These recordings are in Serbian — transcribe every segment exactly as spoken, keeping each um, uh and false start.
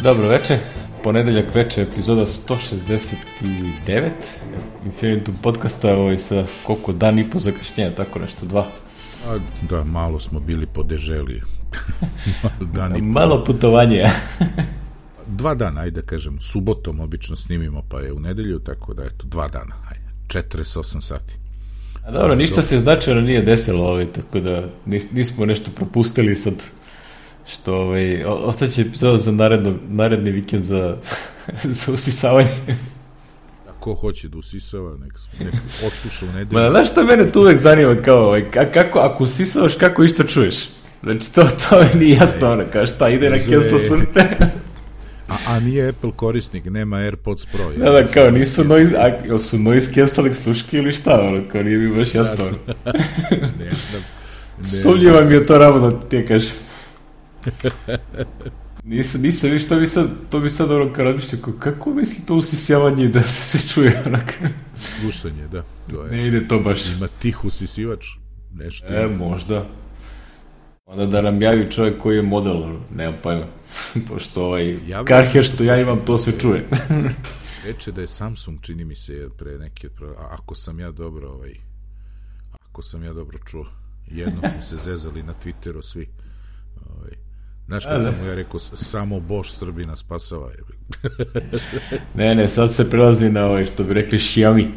Dobro veče, ponedeljak veče, epizoda sto šezdeset devet Infinitum podcasta, ovaj, sa koliko dan i po zakašnjenja, tako nešto, dva. A, da, malo smo bili po deželi. Dan i po. Malo putovanje. Dva dana, ajde kažem, subotom obično snimimo, pa je u nedelju, tako da eto, dva dana, ajde, četrdeset osam sati. A dobro, ništa se značajno nije desilo, ovaj, tako da nis, nismo nešto propustili sad, što ovaj, ostaće epizoda za naredno, naredni vikend za, za usisavanje. A ko hoće da usisava, nek, nek odsluša u nedelju. Ma, znaš šta mene tu uvek zanima, kao, ovaj, kako, ako usisavaš, kako išto čuješ? Znači, to, to mi nije jasno, ono, kao šta, ide na cancel slušanje. A, a nije Apple korisnik, nema AirPods Pro. Da, da, kao, nisu noise, a, ili su noise cancelling sluške ili šta, ono, kao, nije mi baš jasno, ono. Ne znam. Sumnjiva mi je to ravno, ti je kažem. Nisam, nisam, viš, to bi sad, to bi sad, ono, kao razmišljao, kako misli to usisjavanje da se čuje, onak? Slušanje, da. To je, ne ide to baš. Ima tih usisivač, nešto. E, možda. Onda da nam javi čovjek koji je model, nemam pojma. Pošto ovaj karher što ja imam, to se čuje. Reče da je Samsung, čini mi se, pre neke, a ako sam ja dobro, ovaj, ako sam ja dobro čuo, jedno smo se zezali na Twitteru svi. Ovaj, znaš kad sam mu ja rekao, samo Bož Srbina spasava. ne, ne, sad se prelazi na ovaj, što bi rekli, Xiaomi.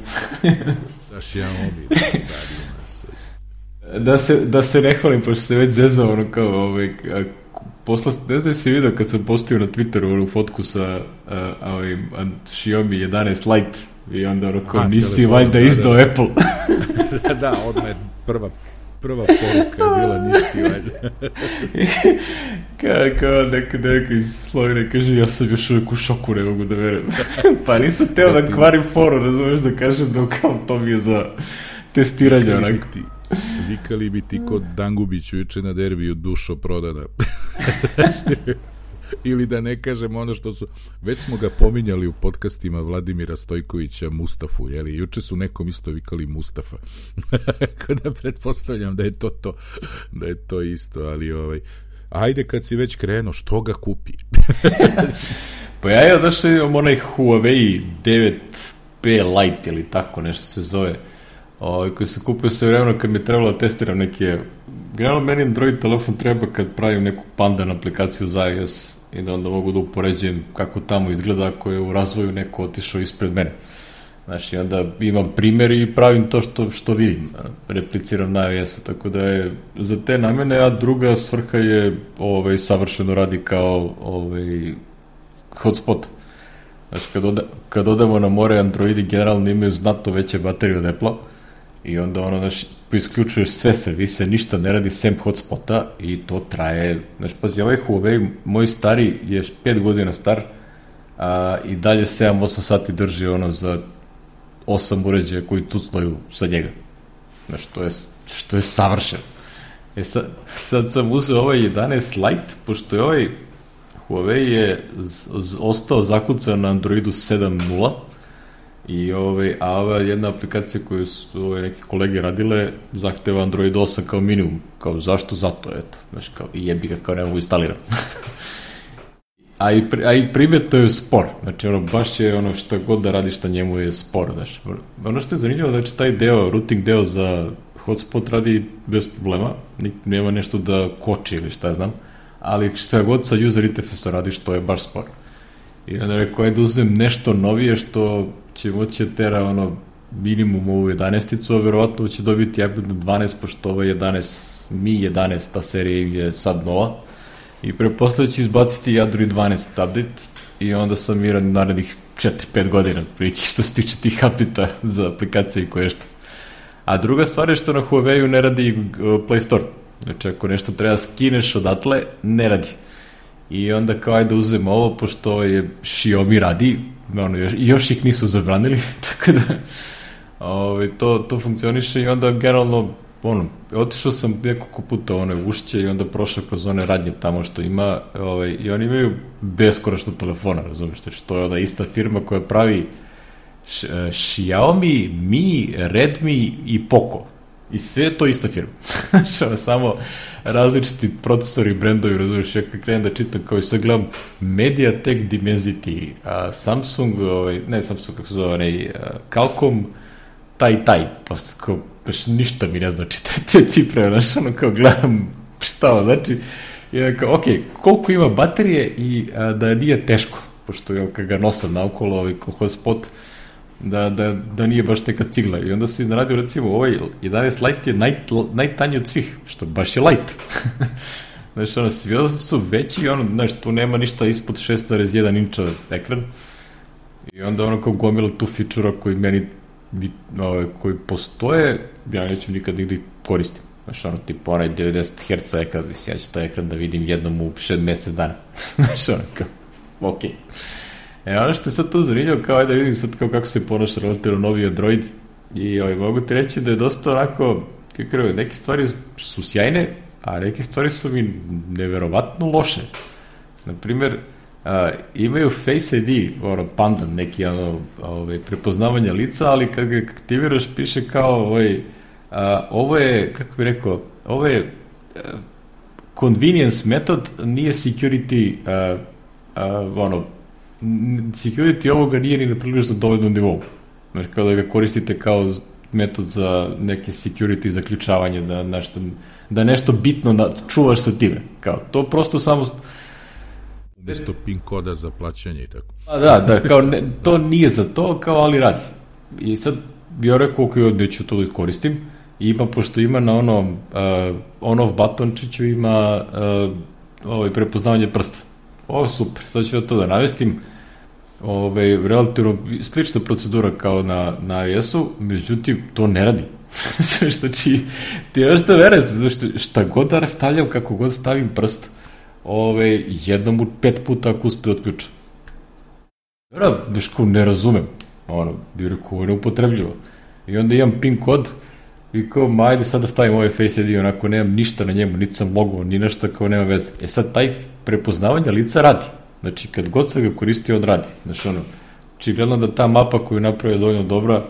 Da, Xiaomi, da, sad ima sve. Da se, da se ne hvalim, pošto se već zezao, ono kao, ovaj, posla, ne znam si vidio kad sam postio na Twitteru onu fotku sa a, a, ovaj, Xiaomi jedanaest Lite i onda ono kao, nisi valjda izdao da, da. Apple. da, da, odmah je prva prva poruka je bila, nisi valjda. kao, kao neka neka iz Slovene kaže, ja sam još uvijek u šoku, ne mogu da verujem. pa nisam teo da kvarim foru, razumeš, da kažem da kao to mi je za testiranje onako. Vikali bi ti kod Dangubiću juče na derbiju dušo prodana. Ili da ne kažem ono što su, već smo ga pominjali u podcastima Vladimira Stojkovića, Mustafu, jeli, juče su nekom isto vikali Mustafa. Kada pretpostavljam da je to to, da je to isto, ali ovaj, ajde kad si već krenuo, što ga kupi? Pa ja je odašao imam onaj Huawei devet P Lite ili tako nešto se zove, o, koji se kupio sve vremeno kad mi je trebalo da testiram neke, generalno meni Android telefon treba kad pravim neku pandan aplikaciju za iOS i da onda mogu da upoređujem kako tamo izgleda ako je u razvoju neko otišao ispred mene. Znači, onda imam primjer i pravim to što, što vidim, repliciram na iOS-u, tako da je za te namene, a druga svrha je ovaj, savršeno radi kao ovaj, hotspot. Znači, kad, oda, kad odemo na more, Androidi generalno imaju znatno veće baterije od Apple-a i onda ono, znači, isključuješ sve servise, ništa ne radi sem hotspota i to traje, znači, pazi, ovaj Huawei, moj stari je pet godina star, a i dalje sedam osam sati drži ono za osam uređaja koji cucnaju sa njega. Znači, to je, što je savršeno. E sad, sad sam uzeo ovaj jedanaest Lite, pošto je ovaj Huawei je z, z, ostao zakucan na Androidu sedam nula i ovaj, a ova jedna aplikacija koju su ovaj, neke kolege radile zahteva Android osam kao minimum. Kao zašto? Zato, eto. Znači, kao, i jebi ga, kao ne mogu instalirati. a, i, a i primjetno je spor. Znači, ono, baš je ono šta god da radiš na njemu je spor. Znači, ono što je zanimljivo, znači, taj deo, routing deo za hotspot radi bez problema. Nema nešto da koči ili šta znam. Ali šta god sa user interfejsom radiš, to je baš spor. I onda rekao, ajde uzmem nešto novije što će moći tera ono minimum ovu jedanaesticu, a verovatno će dobiti iPad dvanaest, pošto ovo je jedanaest, Mi jedanaest, ta serija je sad nova. I prepostavljaju će izbaciti Android dvanaest update i onda sam miran narednih četiri pet godina, prilike što se tiče tih update-a za aplikacije i koje što. A druga stvar je što na Huawei ne radi Play Store. Znači, ako nešto treba skineš odatle, ne radi. I onda kao ajde uzem ovo, pošto je Xiaomi radi, ono, još, još ih nisu zabranili, tako da ovaj, to, to funkcioniše i onda generalno, ono, otišao sam nekoliko puta ono, ušće i onda prošao kroz one radnje tamo što ima, ovaj, i oni imaju beskonačno telefona, razumiješ, znači to je ona ista firma koja pravi Xiaomi, Mi, Redmi i Poco. I sve je to ista firma. Znači, samo različiti procesori, brendovi, razumiješ, ja kad krenem da čitam, kao i sad gledam MediaTek Dimensity, a, Samsung, ovaj, ne Samsung, kako se zove, onaj, Qualcomm, taj, taj, pa kao, baš ništa mi ne znači te, te cifre, znaš, ono, kao gledam šta ovo, znači, i kao, ok, koliko ima baterije i a, da nije teško, pošto ja kad ga nosam naokolo, ovaj, kao hotspot, Da, da, da nije baš neka cigla. I onda se iznaradio, recimo, ovaj jedanaest Lite je naj, najtanji od svih, što baš je light. Znaš, ono, svi su veći, ono, znaš, tu nema ništa ispod šest zarez jedan inča ekran. I onda ono kao gomila tu fičura koji meni, ovaj, koji postoje, ja neću nikad nigde koristim. Znaš, ono, tipa, onaj devedeset herca ekran, mislim, ja ću taj ekran da vidim jednom u šest mesec dana. Znaš, ono, kao, okej. Okay. E, ono što je sad tu zanimljivo, kao ajde da vidim sad kao kako se ponaša relativno novi Android i ovaj, mogu ti reći da je dosta onako, kako je, neke stvari su sjajne, a neke stvari su mi neverovatno loše. Naprimer, a, imaju Face I D, ono, pandan, neki ono, ovaj, prepoznavanje lica, ali kad ga aktiviraš piše kao ovaj, a, ovo je, kako bih rekao, ovo je a, convenience metod, nije security a, a, ono, security ovoga nije ni na prilično dovoljnom nivou. Znači, kao da ga koristite kao metod za neke security zaključavanje, da nešto, da nešto bitno na, čuvaš sa time. Kao, to prosto samo... Umesto pin koda za plaćanje i tako. A da, da, kao ne, to nije za to, kao, ali radi. I sad bi ja rekao, ok, neću to da koristim. I ima, pošto ima na onom uh, on-off batončiću, ima uh, ovaj, prepoznavanje prsta. Ovo super, sad ću ja to da navestim. Ove, relativno slična procedura kao na, na iOS-u, međutim, to ne radi. Znači, ti još da vereš, znači, šta god da stavljam, kako god stavim prst, ove, jednom u pet puta ako uspe da otključa. Vera, deško, ne razumem. Ono, bi rekao, ovo je neupotrebljivo. I onda imam pin kod i kao, ma ajde sad da stavim ovaj Face I D, onako nemam ništa na njemu, niti sam logo, ni nešto, kao nema veze. E sad, taj prepoznavanje lica radi. Znači, kad god se ga koristi, on radi. Znači, ono, očigledno da ta mapa koju napravio dovoljno dobra,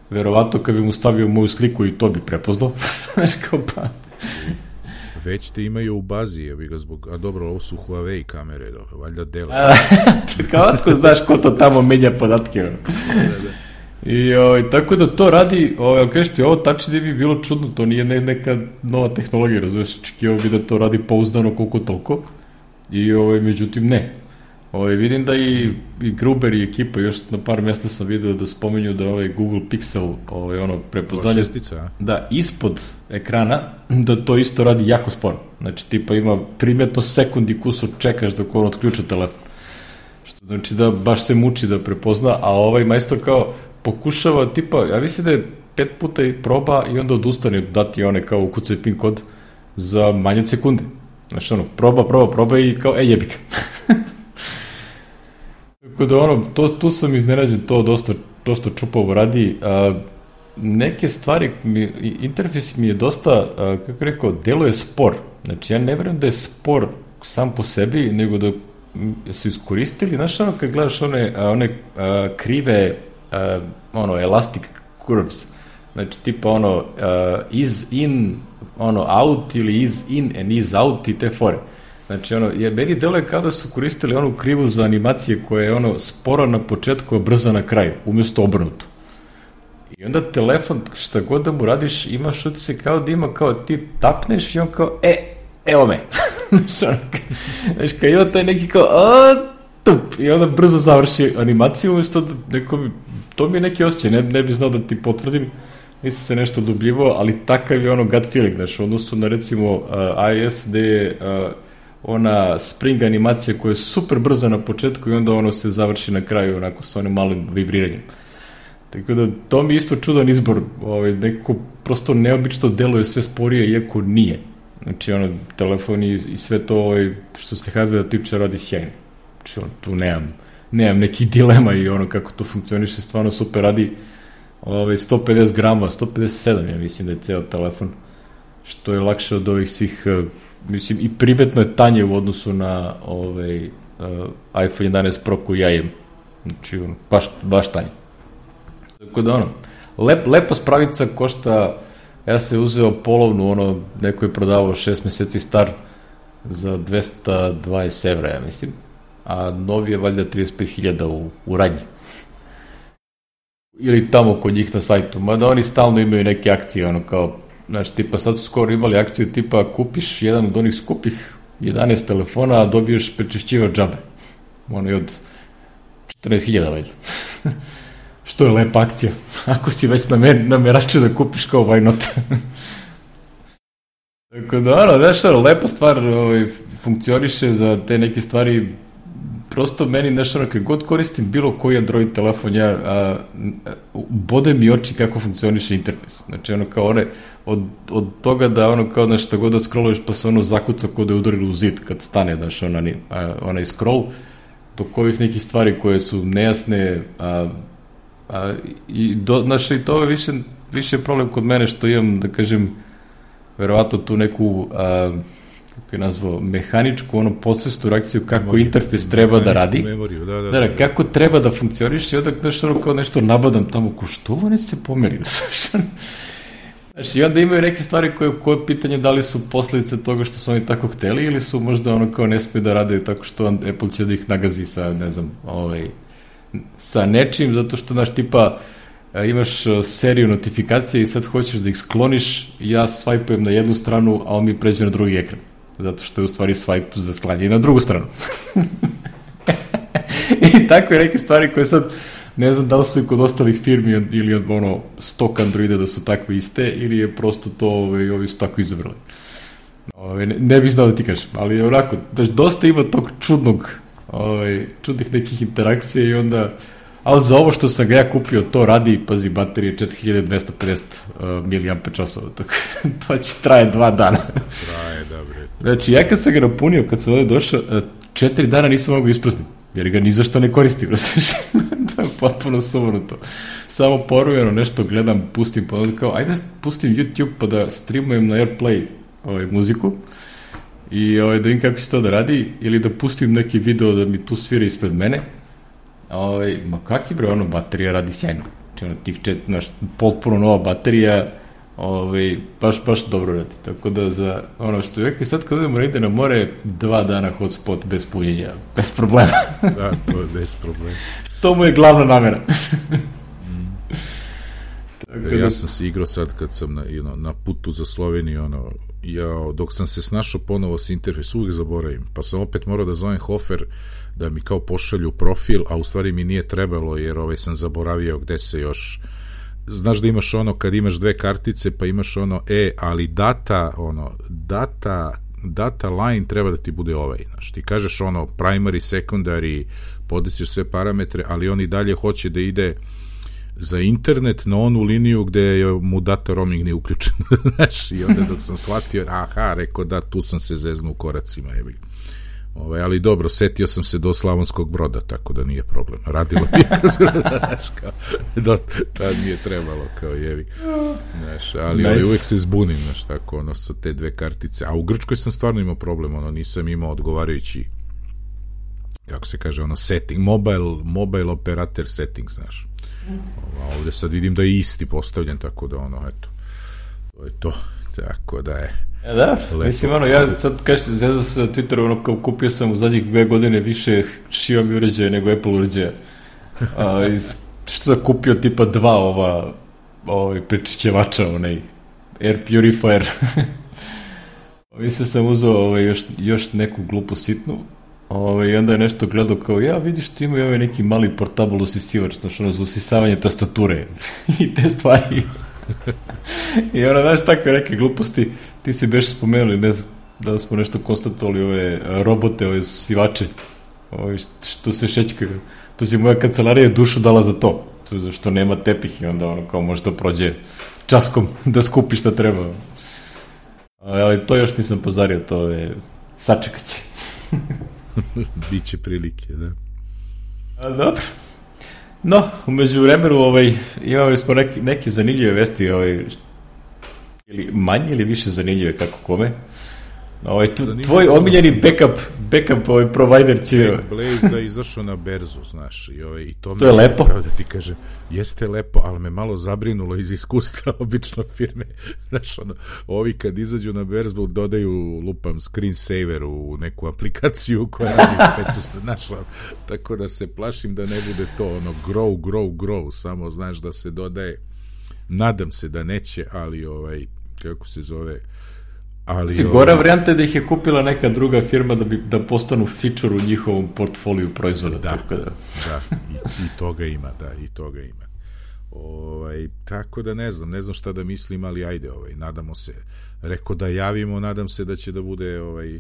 verovatno kad bi mu stavio moju sliku i to bi prepoznao. Znači, kao pa... Već te imaju u bazi, je bi ga zbog... A dobro, ovo su Huawei kamere, dobro, valjda dele. Kao otko znaš ko to tamo menja podatke. Ono. Da, da. I ovaj, tako da to radi, ovaj, kažeš ti, ovo Touch I D bi bilo čudno, to nije ne, neka nova tehnologija, razumiješ, očekivao bi da to radi pouzdano koliko toliko. I ovaj, međutim, ne. Ovaj, vidim da i, i Gruber i ekipa, još na par mjesta sam vidio da spominju da ovaj Google Pixel, ovaj, ono, prepoznanje, da, ispod ekrana, da to isto radi jako sporo. Znači, tipa ima primjetno sekundi kusur čekaš dok on otključa telefon. Što znači da baš se muči da prepozna, a ovaj majstor kao pokušava, tipa, ja mislim da je pet puta i proba i onda odustane dati one kao ukucaj pin kod za manje od sekunde. Znači, ono, proba, proba, proba i kao, e, jebika. Tako da, ono, to, tu sam iznenađen, to dosta, dosta čupavo radi. A, neke stvari, mi, interfejs mi je dosta, a, kako rekao, deluje spor. Znači, ja ne verujem da je spor sam po sebi, nego da su iskoristili, znaš, ono, kad gledaš one, a, one a, krive, a, ono, elastic curves, znači, tipa, ono, a, is in, ono, out ili is in and is out i te fore. Znači, ono, je, meni deluje kao da su koristili onu krivu za animacije koja je, ono, spora na početku, a brza na kraju, umjesto obrnuto. I onda telefon, šta god da mu radiš, imaš utisak kao da ima, kao ti tapneš i on kao, e, evo me. Znači, ono, znaš, kao ima taj neki kao, a, tup, i onda brzo završi animaciju, umjesto da neko, to mi je neki osjećaj, ne, ne bi znao da ti potvrdim, nisam se nešto dobljivao, ali takav je ono gut feeling, znači, odnosu na, recimo, uh, iOS, gde je uh, ona spring animacija koja je super brza na početku i onda ono se završi na kraju onako sa onim malim vibriranjem. Tako da to mi je isto čudan izbor, ovaj, nekako prosto neobično deluje sve sporije iako nije. Znači ono, telefon i, i sve to ovaj, što se hardware tiče radi sjajno. Znači ono, tu nemam, nemam nekih dilema i ono kako to funkcioniše, stvarno super radi. Ovaj, sto pedeset grama, sto pedeset sedam ja mislim da je ceo telefon, što je lakše od ovih svih, mislim, i primetno je tanje u odnosu na ovaj, uh, iPhone jedanaest Pro koji ja imam. Znači, ono, baš, baš tanje. Tako da, ono, lep, lepa spravica košta ja se uzeo polovnu, ono, neko je prodavao šest meseci star za dvesta dvadeset evra, ja mislim, a novi je valjda trideset pet hiljada u, u radnji. Ili tamo kod njih na sajtu, mada oni stalno imaju neke akcije, ono kao, znaš, tipa sad su skoro imali akciju tipa kupiš jedan od onih skupih jedanaest telefona, a dobiješ prečišćivač džabe. Ono je od četrnaest hiljada valjda. Što je lepa akcija. Ako si već nameračio da kupiš kao why not. Tako da, ono, znaš, ono, lepa stvar ovaj, funkcioniše za te neke stvari. Prosto meni, znaš, ono, kad god koristim bilo koji Android telefon, ja, a, bode mi oči kako funkcioniše interfejs. Znači, ono, kao one, od, od toga da, ono, kao, znaš, šta god da scrolluješ, pa se ono zakuca kod da je udarilo u zid kad stane, znaš, onaj, onaj scroll, do kojih nekih stvari koje su nejasne, a, a, i, do, znaš, i to je više, više problem kod mene što imam, da kažem, verovatno tu neku... A, kako je nazvao, mehaničku, ono, posvestu reakciju kako memoriju, interfejs treba da radi. Memoriju, da, da, da, da, da, kako treba da funkcioniš i onda nešto, ono, kao nešto nabadam tamo, ko što ovo ne se pomerio? Znači, i onda imaju neke stvari koje, koje pitanje da li su posledice toga što su oni tako hteli ili su možda ono kao ne smiju da rade tako što Apple će da ih nagazi sa, ne znam, ovaj, sa nečim, zato što, znaš, tipa, imaš seriju notifikacije i sad hoćeš da ih skloniš, ja svajpujem na jednu stranu, a on mi pređe na drugi ekran. Zato što je u stvari swipe za sklanje na drugu stranu. I tako je neke stvari koje sad, ne znam da li su i kod ostalih firmi ili ono, stok Androida da su takve iste, ili je prosto to, ove, ovi su tako izabrali. Ove, ne, ne bih znao da ti kažem, ali onako, daš, dosta ima tog čudnog, ove, čudnih nekih interakcija i onda, ali za ovo što sam ga ja kupio, to radi, pazi, baterije četiri hiljade dvesta pedeset uh, miliamper časova, tako to će traje dva dana. Traje, dobro. Znači, ja kad sam ga napunio, kad sam ovdje došao, četiri dana nisam mogao isprazniti, jer ga ni zašto ne koristim, razliš. To je potpuno sumanuto. Samo porujeno nešto gledam, pustim, pa onda kao, ajde pustim YouTube pa da streamujem na AirPlay ovaj, muziku i ovaj, da vidim kako će to da radi, ili da pustim neki video da mi tu svira ispred mene. Ovaj, ma kaki bre, ono, baterija radi sjajno. Znači, ono, tih čet, naš, potpuno nova baterija, ovaj, baš, baš dobro radi. Tako da za, ono, što je sad kad odemo ide na more, dva dana hotspot bez punjenja, bez problema. Da, to je bez problema. Što mu je glavna namera. mm. Tako da... Ja sam se igrao sad kad sam na, you know, na putu za Sloveniju, ono, ja, dok sam se snašao ponovo s interfejs, uvijek zaboravim, pa sam opet morao da zovem Hofer da mi kao pošalju profil, a u stvari mi nije trebalo, jer ovaj sam zaboravio gde se još, znaš da imaš ono, kad imaš dve kartice, pa imaš ono, e, ali data, ono, data, data line treba da ti bude ovaj, znaš, ti kažeš ono, primary, secondary, podesiš sve parametre, ali on i dalje hoće da ide za internet na onu liniju gde je mu data roaming nije uključen, znaš, i onda dok sam shvatio, aha, rekao da, tu sam se zeznuo u koracima, jebi. Ove, ali dobro, setio sam se do Slavonskog Broda, tako da nije problem. Radilo mi je kroz znaš, kao, do, tad mi je trebalo, kao jevi. Znaš, ali nice. Ovaj, uvijek se zbunim, znaš, tako, ono, sa te dve kartice. A u Grčkoj sam stvarno imao problem, ono, nisam imao odgovarajući, kako se kaže, ono, setting, mobile, mobile operator setting, znaš. A ovdje sad vidim da je isti postavljen, tako da, ono, eto, to je to, tako da je. Ja, da, lepo. Mislim, ono, ja sad kažete, zezao se na Twitteru, ono, kao kupio sam u zadnjih dve godine više Xiaomi uređaja nego Apple uređaja. A, iz, što sam kupio tipa dva ova, ovaj prečišćevača, onaj Air Purifier. Mislim, sam uzeo ovaj, još, još neku glupu sitnu, ovaj, i onda je nešto gledao kao, ja, vidiš, ti imaju ovaj neki mali portable usisivač, znači, ono, za usisavanje tastature i te stvari. I ono, znaš, takve neke gluposti, ti si beš spomenuli, ne znam, da smo nešto konstatovali, ove robote, ove usisivače, ove što se šećkaju. Pa si moja kancelarija dušu dala za to, zašto nema tepih i onda ono, kao možda prođe časkom da skupi šta treba. Ali to još nisam pozario, to je sačekat će. Biće prilike, da. A, dobro. No, umeđu vremenu ovaj, imali smo neki, neke zanimljive vesti, ovaj, ili manje ili više zanimljive, kako kome. Ovaj, tu, tvoj omiljeni backup, backup ovaj provider će... Blaze da je izašao na berzu, znaš, i, ovaj, i to, to je lepo. Pravo da ti kažem, jeste lepo, ali me malo zabrinulo iz iskustva obično firme, znaš, ono, ovi kad izađu na berzu dodaju, lupam, screensaver u neku aplikaciju koja radi petu, znaš, tako da se plašim da ne bude to, ono, grow, grow, grow, samo, znaš, da se dodaje, nadam se da neće, ali, ovaj, kako se zove... Ali, si, gora varijanta je da ih je kupila neka druga firma da bi da postanu feature u njihovom portfoliju proizvoda. Da, tako da, da i, i toga ima, da, i toga ima. Ovaj, tako da ne znam, ne znam šta da mislim, ali ajde, ovaj, nadamo se, reko da javimo, nadam se da će da bude, ovaj,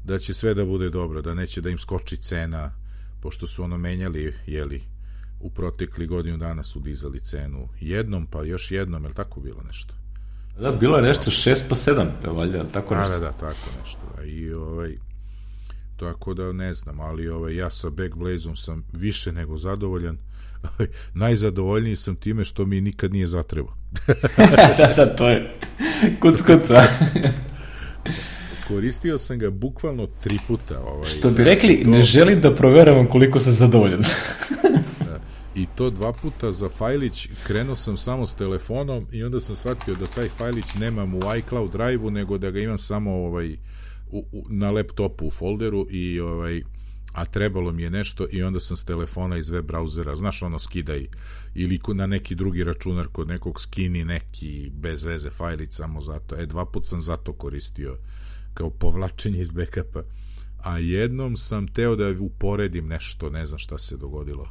da će sve da bude dobro, da neće da im skoči cena, pošto su ono menjali, jeli, u protekli godinu dana su dizali cenu jednom, pa još jednom, je li tako bilo nešto? Da, bilo je nešto šest pa sedam, valjda, tako nešto. Da, da, tako nešto. I ovaj, tako da ne znam, ali ovaj, ja sa Backblazeom sam više nego zadovoljan. Najzadovoljniji sam time što mi nikad nije zatrebao. da, da, to je kuc, kuc, a? Koristio sam ga bukvalno tri puta. Ovaj, što bi rekli, to... ne želim da proveravam koliko sam zadovoljan. I to dva puta za fajlić, krenuo sam samo s telefonom i onda sam shvatio da taj fajlić nemam u iCloud drive-u, nego da ga imam samo ovaj, u, u, na laptopu u folderu, i, ovaj, a trebalo mi je nešto i onda sam s telefona iz web brauzera, znaš ono, skidaj, ili na neki drugi računar kod nekog skini neki bez veze fajlić samo zato. E, dva put sam zato koristio kao povlačenje iz backupa. A jednom sam teo da uporedim nešto, ne znam šta se dogodilo.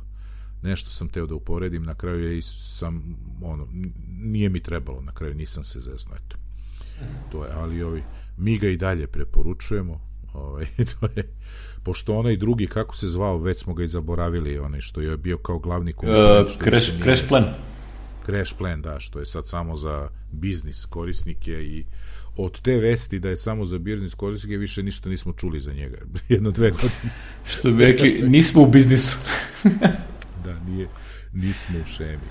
Nešto sam teo da uporedim, na kraju je sam, ono, nije mi trebalo, na kraju nisam se zezno, eto. To je, ali ovi, mi ga i dalje preporučujemo, ovaj, to je, pošto onaj drugi, kako se zvao, već smo ga i zaboravili, onaj što je bio kao glavni konkurent. Uh, crash, crash plan. Crash plan, da, što je sad samo za biznis korisnike, i od te vesti da je samo za biznis korisnike više ništa nismo čuli za njega. Jedno, dve godine. Što bi rekli, nismo u biznisu. Da, nije, nismo u šemi.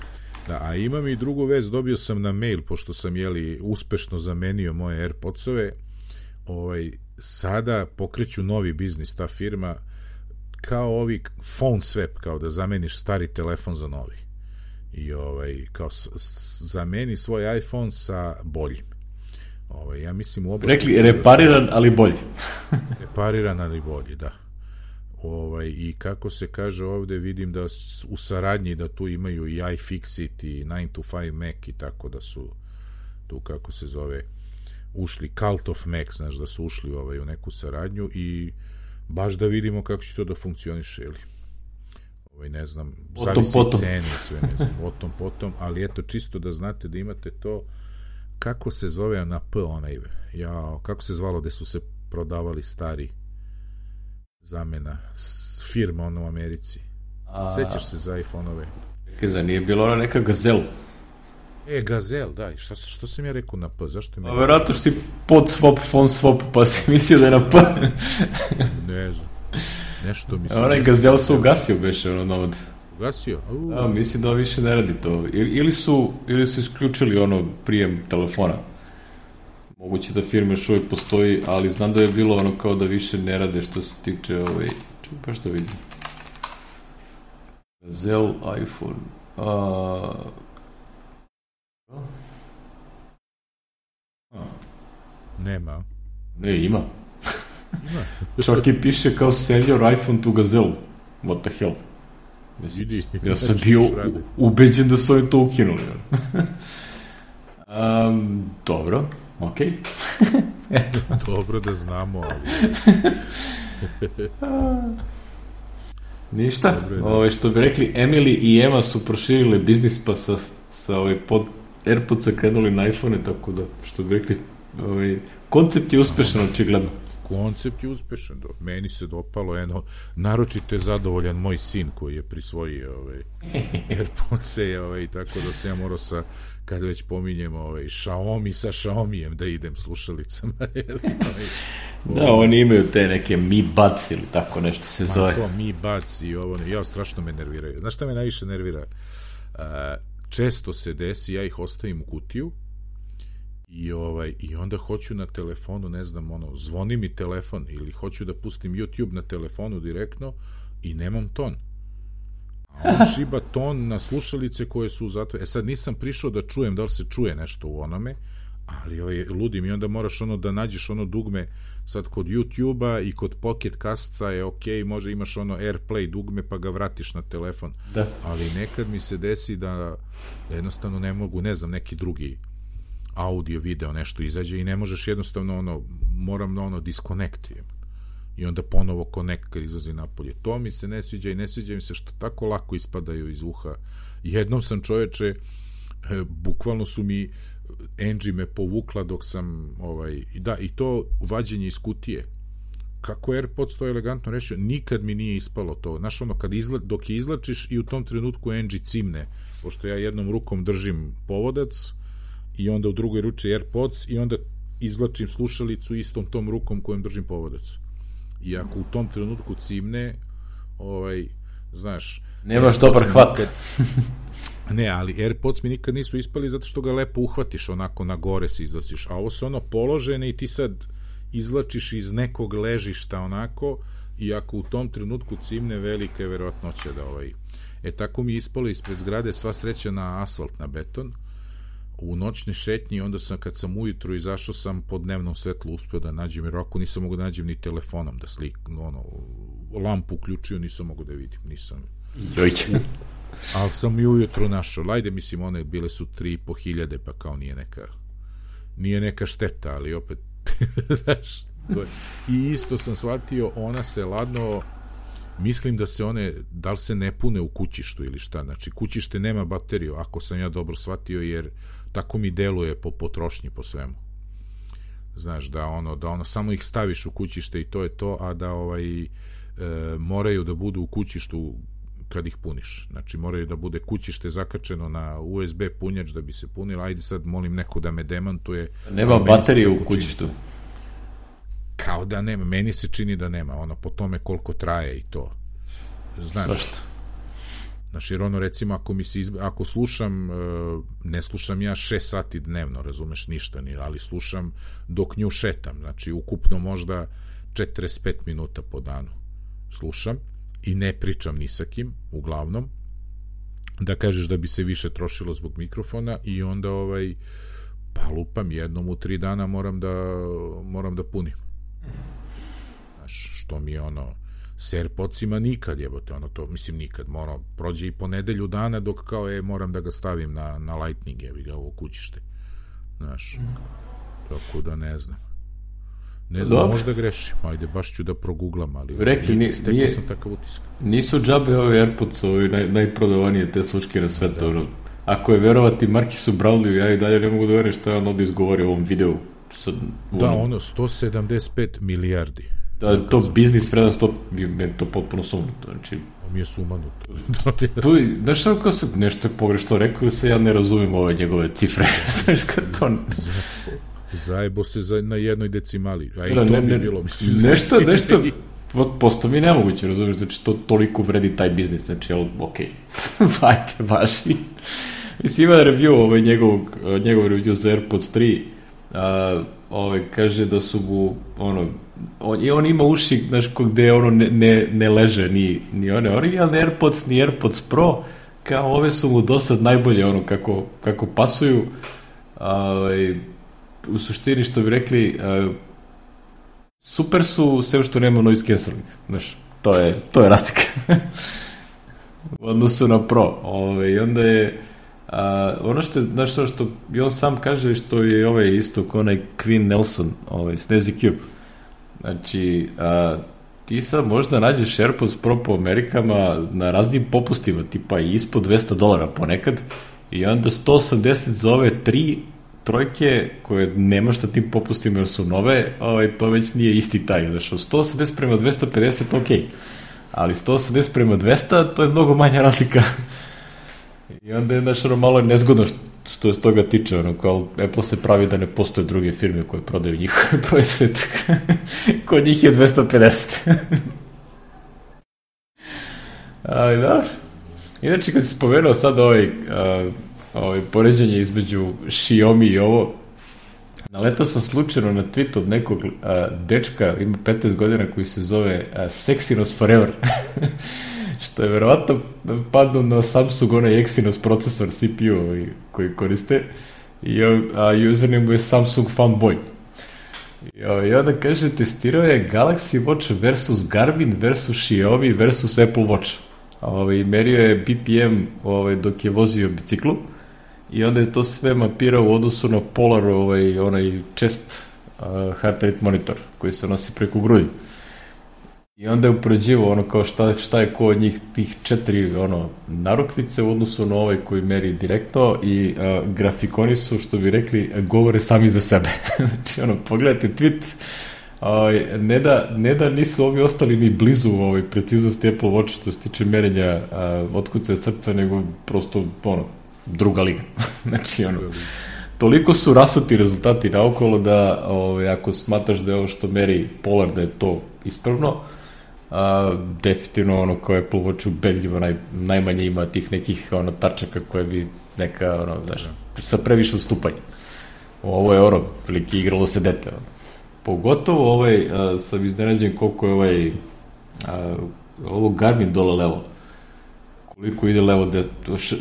Da, a imam i drugu vest, dobio sam na mail, pošto sam, jeli, uspešno zamenio moje AirPodsove, ovaj, sada pokreću novi biznis, ta firma, kao ovi phone swap, kao da zameniš stari telefon za novi. I ovaj, kao s, s, zameni svoj iPhone sa boljim. Ovaj, ja mislim u oblasti... Rekli, repariran, ali bolji. Repariran, ali bolji, da. Ovaj, i kako se kaže ovde, vidim da u saradnji da tu imaju i iFixit i nine to five Mac, i tako da su tu, kako se zove, ušli Cult of Mac, znaš, da su ušli ovaj, u neku saradnju, i baš da vidimo kako će to da funkcioniše, ili ovaj, ne znam, zavisi ceni sve, ne znam, o tom potom, ali eto, čisto da znate da imate to, kako se zove na P onaj, ja, kako se zvalo gde su se prodavali stari zamena firma ono u Americi. A... Sećaš se za iPhone-ove? Kaza, nije bilo ona neka Gazel? E, Gazel, da. Šta, što sam ja rekao na P? Zašto mi... A verovatno što ti pod swap, phone swap, pa si mislio da je na P. Ne znam. Nešto mi se... A onaj Gazel se ugasio, beše, ono novod. Ugasio? Uh. A, mislim da više ne radi to. Ili su, ili su isključili ono prijem telefona. Moguće da firma još uvijek postoji, ali znam da je bilo ono kao da više ne rade što se tiče ovaj... Čekaj pa što vidim. Gazel iPhone. A... A. Nema. Ne, ima. Ima. Čak i piše kao send your iPhone to Gazel. What the hell? Vidi, ja sam bio ubeđen da su oni to ukinuli. um, dobro. Ok. Eto. Dobro da znamo, ali... Ništa. Ove, što bi rekli, Emily i Emma su proširile biznis, pa sa, sa ove pod AirPodsa krenuli na iPhone, tako da, što bi rekli, ove, koncept je uspešan, očigledno. Koncept je uspešan, do. Meni se dopalo, eno, naročito je zadovoljan moj sin koji je prisvojio ove, AirPodse, ove, tako da se ja morao sa, kada već pominjemo ove, Xiaomi sa Xiaomijem da idem slušalicama. Da, oni imaju te neke Mi Buds ili tako nešto se zove. Ma to, Mi Buds i ovo, ja, strašno me nerviraju. Znaš šta me najviše nervira? Uh, često se desi, ja ih ostavim u kutiju I, ovaj, I onda hoću na telefonu, ne znam, ono, zvoni mi telefon ili hoću da pustim YouTube na telefonu direktno i nemam ton. A on šiba ton na slušalice koje su zato... E sad nisam prišao da čujem da li se čuje nešto u onome, ali ovaj, ludim i onda moraš ono da nađeš ono dugme sad kod YouTube-a i kod Pocket Casta je ok, može imaš ono AirPlay dugme pa ga vratiš na telefon. Da. Ali nekad mi se desi da, da jednostavno ne mogu, ne znam, neki drugi audio, video, nešto izađe i ne možeš jednostavno ono, moram na ono disconnect i onda ponovo connect kad izlazi napolje. To mi se ne sviđa i ne sviđa mi se što tako lako ispadaju iz uha. Jednom sam, čoveče, bukvalno su mi Angie me povukla dok sam ovaj, da, i to vađenje iz kutije. Kako AirPods to elegantno rešio, nikad mi nije ispalo to. Znaš, ono, kad izla, dok je izlačiš i u tom trenutku Angie cimne, pošto ja jednom rukom držim povodac i onda u drugoj ruci AirPods i onda izvlačim slušalicu istom tom rukom kojom držim povodac. I ako u tom trenutku cimne, ovaj, znaš... Nemaš dobar hvat. Nikad, ne, ali AirPods mi nikad nisu ispali zato što ga lepo uhvatiš, onako na gore se izlačiš. A ovo su ono položene i ti sad izlačiš iz nekog ležišta onako i ako u tom trenutku cimne, velika je verovatnoća da ovaj... E, tako mi je ispalo ispred zgrade, sva sreća na asfalt, na beton, u noćnoj šetnji, onda sam, kad sam ujutru izašao sam po dnevnom svetlu uspio da nađem, jer ako nisam mogu da nađem ni telefonom da slik, ono, lampu uključio, nisam mogu da vidim, nisam. Jojće. Ali sam i ujutru našao, lajde, mislim, one bile su tri i po hiljade, pa kao nije neka, nije neka šteta, ali opet, znaš, to je. I isto sam shvatio, ona se ladno, mislim da se one, da li se ne pune u kućištu ili šta, znači kućište nema bateriju, ako sam ja dobro shvatio, jer tako mi deluje po potrošnji, po svemu. Znaš, da ono, da ono, samo ih staviš u kućište i to je to, a da ovaj, e, moraju da budu u kućištu kad ih puniš. Znači, moraju da bude kućište zakačeno na U S B punjač da bi se punilo. Ajde sad, molim neko da me demantuje. Nema baterije u kućištu. Kao da nema, meni se čini da nema, ono, po tome koliko traje i to. Znaš, Zašto? Znaš, jer ono, recimo, ako mi se izbe, ako slušam, ne slušam ja šest sati dnevno, razumeš, ništa, ni, ali slušam dok nju šetam, znači, ukupno možda četrdeset pet minuta po danu slušam i ne pričam ni sa kim, uglavnom, da kažeš da bi se više trošilo zbog mikrofona i onda, ovaj, pa lupam, jednom u tri dana moram da, moram da punim. Znaš, što mi je ono, s AirPodsima nikad jebote, ono to, mislim nikad, mora, prođe i po nedelju dana dok kao, e, moram da ga stavim na, na Lightning, evi ga ovo kućište. Znaš, tako da ne znam. Ne znam, Dobre. možda grešim, ajde, baš ću da proguglam, ali rekli, nije, stekao nije, sam takav utisak. Nisu džabe ove AirPods, ovi naj, najprodavanije te slučke na svetu, da. Ako je verovati Markisu Brownleyu, ja i dalje ne mogu da verujem što je on ovdje izgovorio u ovom videu. Sad, da, ono, ono sto sedamdeset pet milijardi. Da, to biznis vredan sto, meni to potpuno sumnuto. Znači, on mi je sumanuto. tu, znaš što, kao se, nešto je pogrešno rekao, se ja ne razumim ove njegove cifre. Znaš, kad to... Zajebo se za, na jednoj decimali. A i da, to ne, bi ne, bilo, mislim. Nešto, nešto, posto mi nemoguće, razumiješ, znači to toliko vredi taj biznis, znači, jel, okej, okay. Vajte, vaši. Mislim, ima review, ovaj, njegovog, njegov review za AirPods tri, a, ovaj, kaže da su mu, ono, on, i on ima uši, znaš, gde ono ne, ne, ne leže ni, ni one originalne AirPods, ni AirPods Pro, kao ove su mu dosad najbolje, ono, kako, kako pasuju, ovaj, u suštini, što bi rekli, uh, super su, sve što nema noise cancelling. Znaš, to je, to je rastika. U odnosu na Pro. Ove, I onda je, uh, ono što je, znaš, što, što i on sam kaže, što je ovaj isto kao onaj Queen Nelson, ovaj, Snazzy Cube. Znači, uh, ti sad možda nađeš AirPods Pro po Amerikama na raznim popustima, tipa i ispod dvesta dolara ponekad, i onda sto osamdeset za ove tri trojke koje nema šta tim popustima jer su nove, ovaj, to već nije isti taj. Znači, sto osamdeset prema dvesta pedeset, ok. Ali sto osamdeset prema dvesta, to je mnogo manja razlika. I onda je, znaš, ono, malo nezgodno što je s toga tiče, ono, kao Apple se pravi da ne postoje druge firme koje prodaju njihove proizvode. Kod njih je dvesta pedeset. Ali, dobro. Inače, kad si spomenuo sad ovaj... Uh, Ovaj, poređenje između Xiaomi i ovo, Naletao sam slučajno na tweet od nekog a, dečka, ima petnaest godina, koji se zove a, Sexinos Forever. Što je verovatno padno na Samsung onaj Exynos procesor C P U koji koriste. I, a username je Samsung Fanboy. I, i onda kaže, testirao je Galaxy Watch versus Garmin versus Xiaomi versus Apple Watch. Ovaj, merio je B P M ovaj, dok je vozio biciklu i onda je to sve mapirao u odnosu na Polar, ovaj, onaj chest uh, heart rate monitor koji se nosi preko grudi. I onda je upoređivao ono kao šta, šta je ko od njih tih četiri ono, narukvice u odnosu na ovaj koji meri direktno i uh, grafikoni su, što bi rekli, govore sami za sebe. Znači, ono, pogledajte tweet, uh, ne, da, ne da nisu ovi ostali ni blizu ovaj, preciznosti Apple Watch što se tiče merenja uh, otkucaja srca, nego prosto, ono, druga liga. Znači, ono, toliko su rasuti rezultati naokolo da, ovaj, ako smatraš da je ovo što meri Polar da je to ispravno, a, definitivno ono kao Apple Watch ubedljivo naj, najmanje ima tih nekih ono tačaka koje bi neka, ono, znaš, sa previše odstupanja. Ovo je ono, prilike igralo se dete. Ono. Pogotovo ovaj, a, sam iznenađen koliko je ovaj a, ovo Garmin dole levo. Koliko ide levo, de,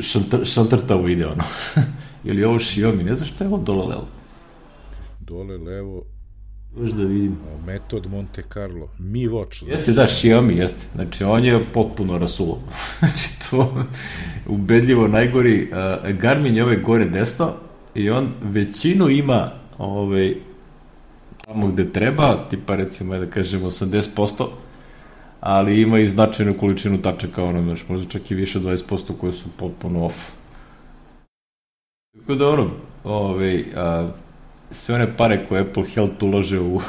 šantr, šantrtavo ide ono. Ili ovo Xiaomi, ne znam šta je ovo dole levo. Dole levo, još da vidim. Metod Monte Carlo, Mi Watch. Jeste, da, Xiaomi, jeste. Znači, on je potpuno rasulo. Znači, to ubedljivo najgori. Uh, Garmin je ove gore desno i on većinu ima ovaj, tamo gde treba, tipa recimo, da kažemo, osamdeset posto, ali ima i značajnu količinu tačaka, ono, znaš, možda čak i više dvadeset posto koje su potpuno off. Tako da, ono, ovaj, uh, sve one pare koje Apple Health ulože u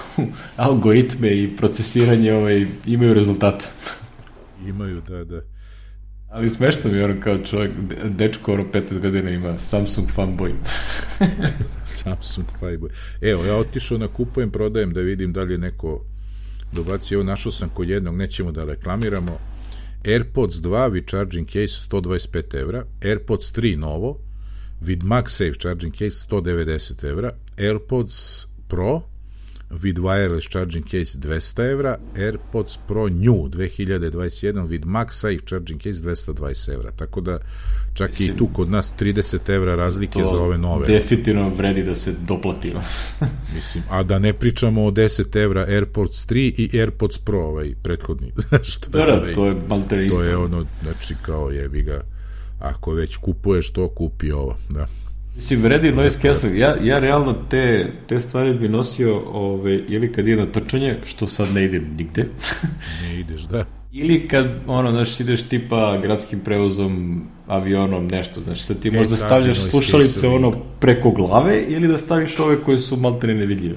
algoritme i procesiranje ovaj, imaju rezultate. Imaju, da, da. Ali smešno mi je ono kao čovjek, dečko ono petnaest godina ima Samsung Fanboy. Samsung Fanboy. Evo, ja otišao na kupujem, prodajem da vidim da li je neko dobacio. Evo, našao sam kod jednog, nećemo da reklamiramo. AirPods dva with charging case sto dvadeset pet evra, AirPods tri novo, with MagSafe charging case sto devedeset evra, AirPods Pro with wireless charging case dvesta evra, AirPods Pro New dve hiljade dvadeset jedan with MagSafe charging case dvesta dvadeset evra. Tako da čak mislim, i tu kod nas trideset evra razlike za ove nove. Definitivno vredi da se doplatimo. Mislim, a da ne pričamo o deset evra AirPods tri i AirPods Pro, ovaj prethodni. Što da, da, ovaj, to je maltene isto. To je ono, znači kao jebi ga, ako već kupuješ to, kupi ovo, da. Mislim, vredi noise cancelling. Ja, ja realno te, te stvari bi nosio ove, ili kad idem na trčanje, što sad ne idem nigde. Ne ideš, da. Ili kad, ono, znaš, ideš tipa gradskim prevozom, avionom, nešto. Znači, sad ti e, možda stavljaš slušalice ono preko glave ili da staviš ove koje su maltene nevidljive.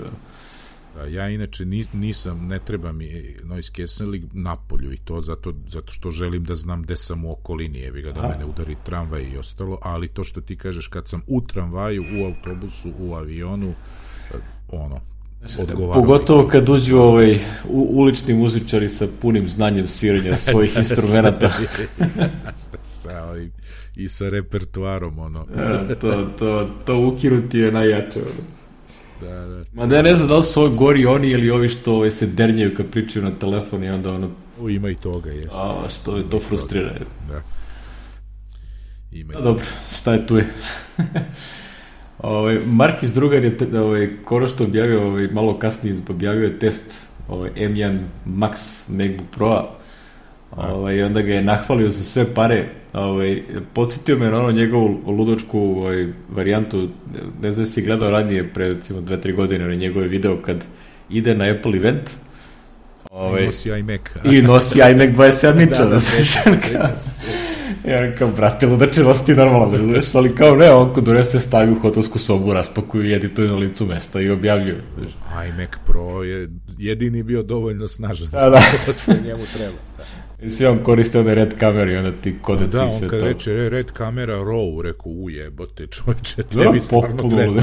Da, ja inače nisam, ne treba mi noise cancelling napolju i to zato, zato što želim da znam gde sam u okolini, jebi ga, da A. me ne udari tramvaj i ostalo, ali to što ti kažeš kad sam u tramvaju, u autobusu, u avionu, ono, odgovaram. Pogotovo kad uđu ovaj, u, ulični muzičari sa punim znanjem sviranja svojih instrumenta. sa ovim, i sa repertoarom, ono. Ja, to, to, to ukinuti je najjače, ono. Da, da. Ma da ja ne znam da li su ovo gori oni ili ovi što ovaj, se dernjaju kad pričaju na telefon i onda ono... O, ima i toga, jeste. A, što je to frustrira. Da. Ima i a, dobro, šta je tu je? ovaj, Markis drugar je ovaj, koro što objavio, ovaj, malo kasnije objavio je test ovaj, M jedan Max MacBook Pro-a. Ovaj, onda ga je nahvalio za sve pare. Ovaj, podsjetio me na ono njegovu ludočku ovaj, varijantu, ne znam si gledao ranije pre recimo dve tri godine na njegove video kad ide na Apple event ovaj, i nosi iMac i nosi iMac dvadeset sedam inča da, da se ja on kao brate ludače nosti normalno da znaš, ali kao ne, on kod donese stavi u hotelsku sobu, raspakuju i edituju na licu mesta i objavljuju. iMac Pro je jedini bio dovoljno snažan da, da. što njemu treba. Da. I svi on koriste one red kamere i onda ti kodeci da, sve to. Da, on kad reče red kamera raw, rekao ujebote čovječe, tebi stvarno treba.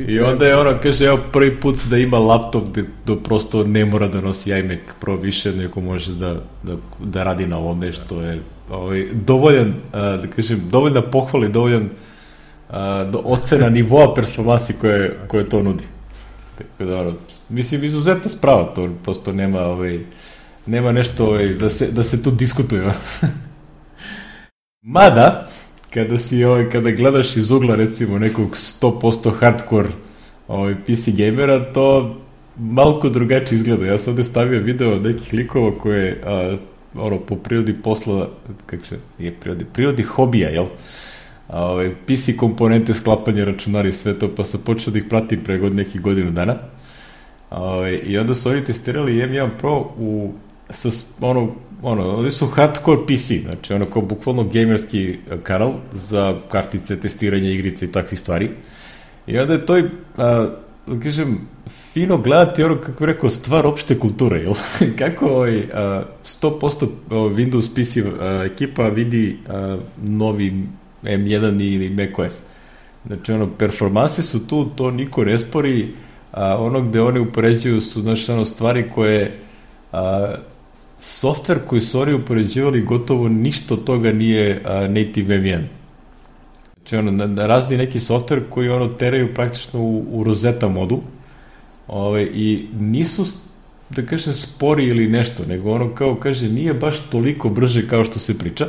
I onda je ono, kaže, evo prvi put da ima laptop gde do prosto ne mora da nosi iMac Pro više, nego može da, da, da radi na ovome, što je ovaj, dovoljan, da kažem, dovoljna pohvala i dovoljan a, do ocena nivoa performansi koje, koje to nudi. Tako da, ono, mislim, izuzetna sprava, to prosto nema, ovaj, nema nešto ovaj, da, se, da se tu diskutuje. Mada, kada, si, ovaj, kada gledaš iz ugla, recimo, nekog sto posto hardcore ovaj, P C gamera, to malko drugačije izgleda. Ja sam ovde stavio video od nekih likova koje, a, ono, po prirodi posla, kako se, nije prirodi, prirodi hobija, jel? A, ovaj, P C komponente, sklapanje računara i sve to, pa sam počeo da ih pratim pre god nekih godinu dana. A, ovaj, i onda su oni testirali M jedan Pro u, sa, ono, ono, oni su hardcore P C, znači ono kao bukvalno gamerski kanal za kartice, testiranje igrice i takvih stvari. I onda je to, a, da kažem, fino gledati ono, kako bih rekao, stvar opšte kulture, jel? Kako ovaj, a, sto posto Windows P C a, ekipa vidi a, novi M jedan ili macOS. Znači, ono, performanse su tu, to niko ne spori, a ono gde oni upoređuju su, znači, ono, stvari koje a, softver koji su oni upoređivali gotovo ništa od toga nije a, native M jedan. Znači, ono, na, na razni neki softver koji, ono, teraju praktično u, u Rosetta modu, ove, i nisu, da kažem, spori ili nešto, nego ono, kao kaže, nije baš toliko brže kao što se priča,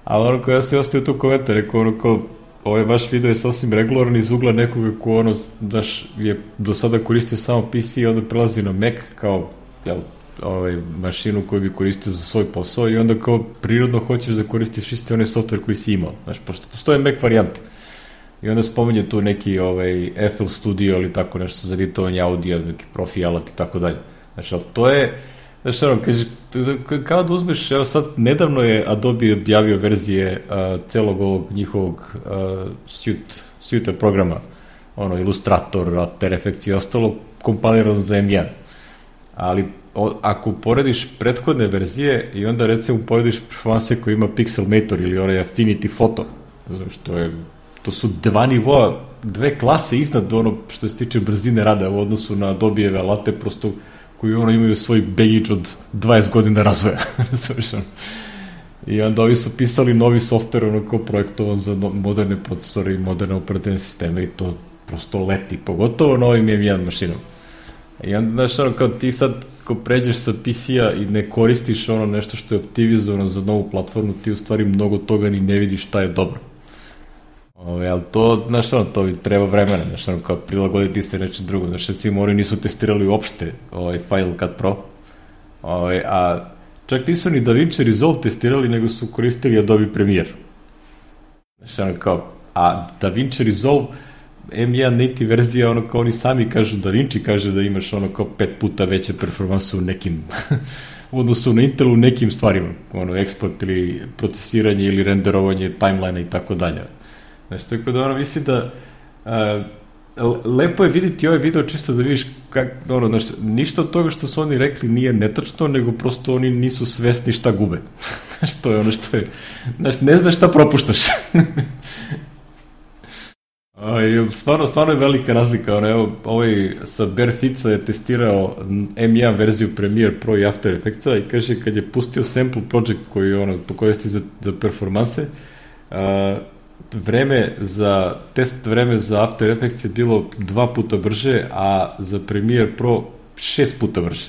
ali ono, kao ja se ostavio tu komentar, rekao, ono, kao, ovaj vaš video je sasvim regularan iz ugla nekoga ko, ono, daš, je do sada koristio samo P C i onda prelazi na Mac kao, jel, ovaj, mašinu koju bi koristio za svoj posao i onda kao prirodno hoćeš da koristiš isti onaj software koji si imao, znaš, pošto postoje Mac varijante. I onda spominje tu neki ovaj, F L Studio ili tako nešto za editovanje audio, neki profi alat i tako dalje. Znači, ali to je, znači, ono, kaže, kao da uzmeš, evo sad, nedavno je Adobe objavio verzije uh, celog ovog njihovog uh, suite, suite programa, ono, Illustrator, After Effects i ostalo, kompilirano za M jedan. Ali o, ako porediš prethodne verzije i onda recimo porediš performanse koji ima Pixelmator ili onaj Affinity Photo, znači, to je, to su dva nivoa, dve klase iznad ono što se tiče brzine rada u odnosu na Adobe-eve alate, prosto koji ono imaju svoj baggage od dvadeset godina razvoja. I onda ovi su pisali novi software ono kao projektovan za moderne procesore i moderne operativne sisteme i to prosto leti, pogotovo na ovim M jedan mašinom. I onda, znaš, ono, kao ti sad ko pređeš sa P C-a i ne koristiš ono nešto što je optimizovano za novu platformu, ti u stvari mnogo toga ni ne vidiš šta je dobro. Ove, ali to, znaš, ono, to treba vremena, znaš, ono, kao prilagoditi se nečem drugo. Znaš, recimo, oni nisu testirali uopšte ovaj Final Cut Pro, ove, a čak nisu ni DaVinci Resolve testirali, nego su koristili Adobe Premiere. Znaš, ono, kao, a DaVinci Resolve M jedan native verzija, ono, kao oni sami kažu, DaVinci kaže da imaš, ono, kao pet puta veće performanse u nekim u odnosu na Intel u nekim stvarima, ono, eksport ili procesiranje ili renderovanje timeline i tako dalje. Znači, tako da, ono, mislim da a, lepo je vidjeti ovaj video čisto da vidiš kak, ono, znači, ništa od toga što su oni rekli nije netačno, nego prosto oni nisu svesni šta gube. Znači, to je ono što je, znači, ne znaš šta propuštaš. A, stvarno, stvarno je velika razlika, ono, evo, ovaj sa Barefitsa je testirao M jedan verziju Premiere Pro i After Effectsa i kaže, kad je pustio sample project koji, ono, to koristi za, za performanse, a, vreme za, test vreme za After Effects je bilo dva puta brže, a za Premiere Pro šest puta brže.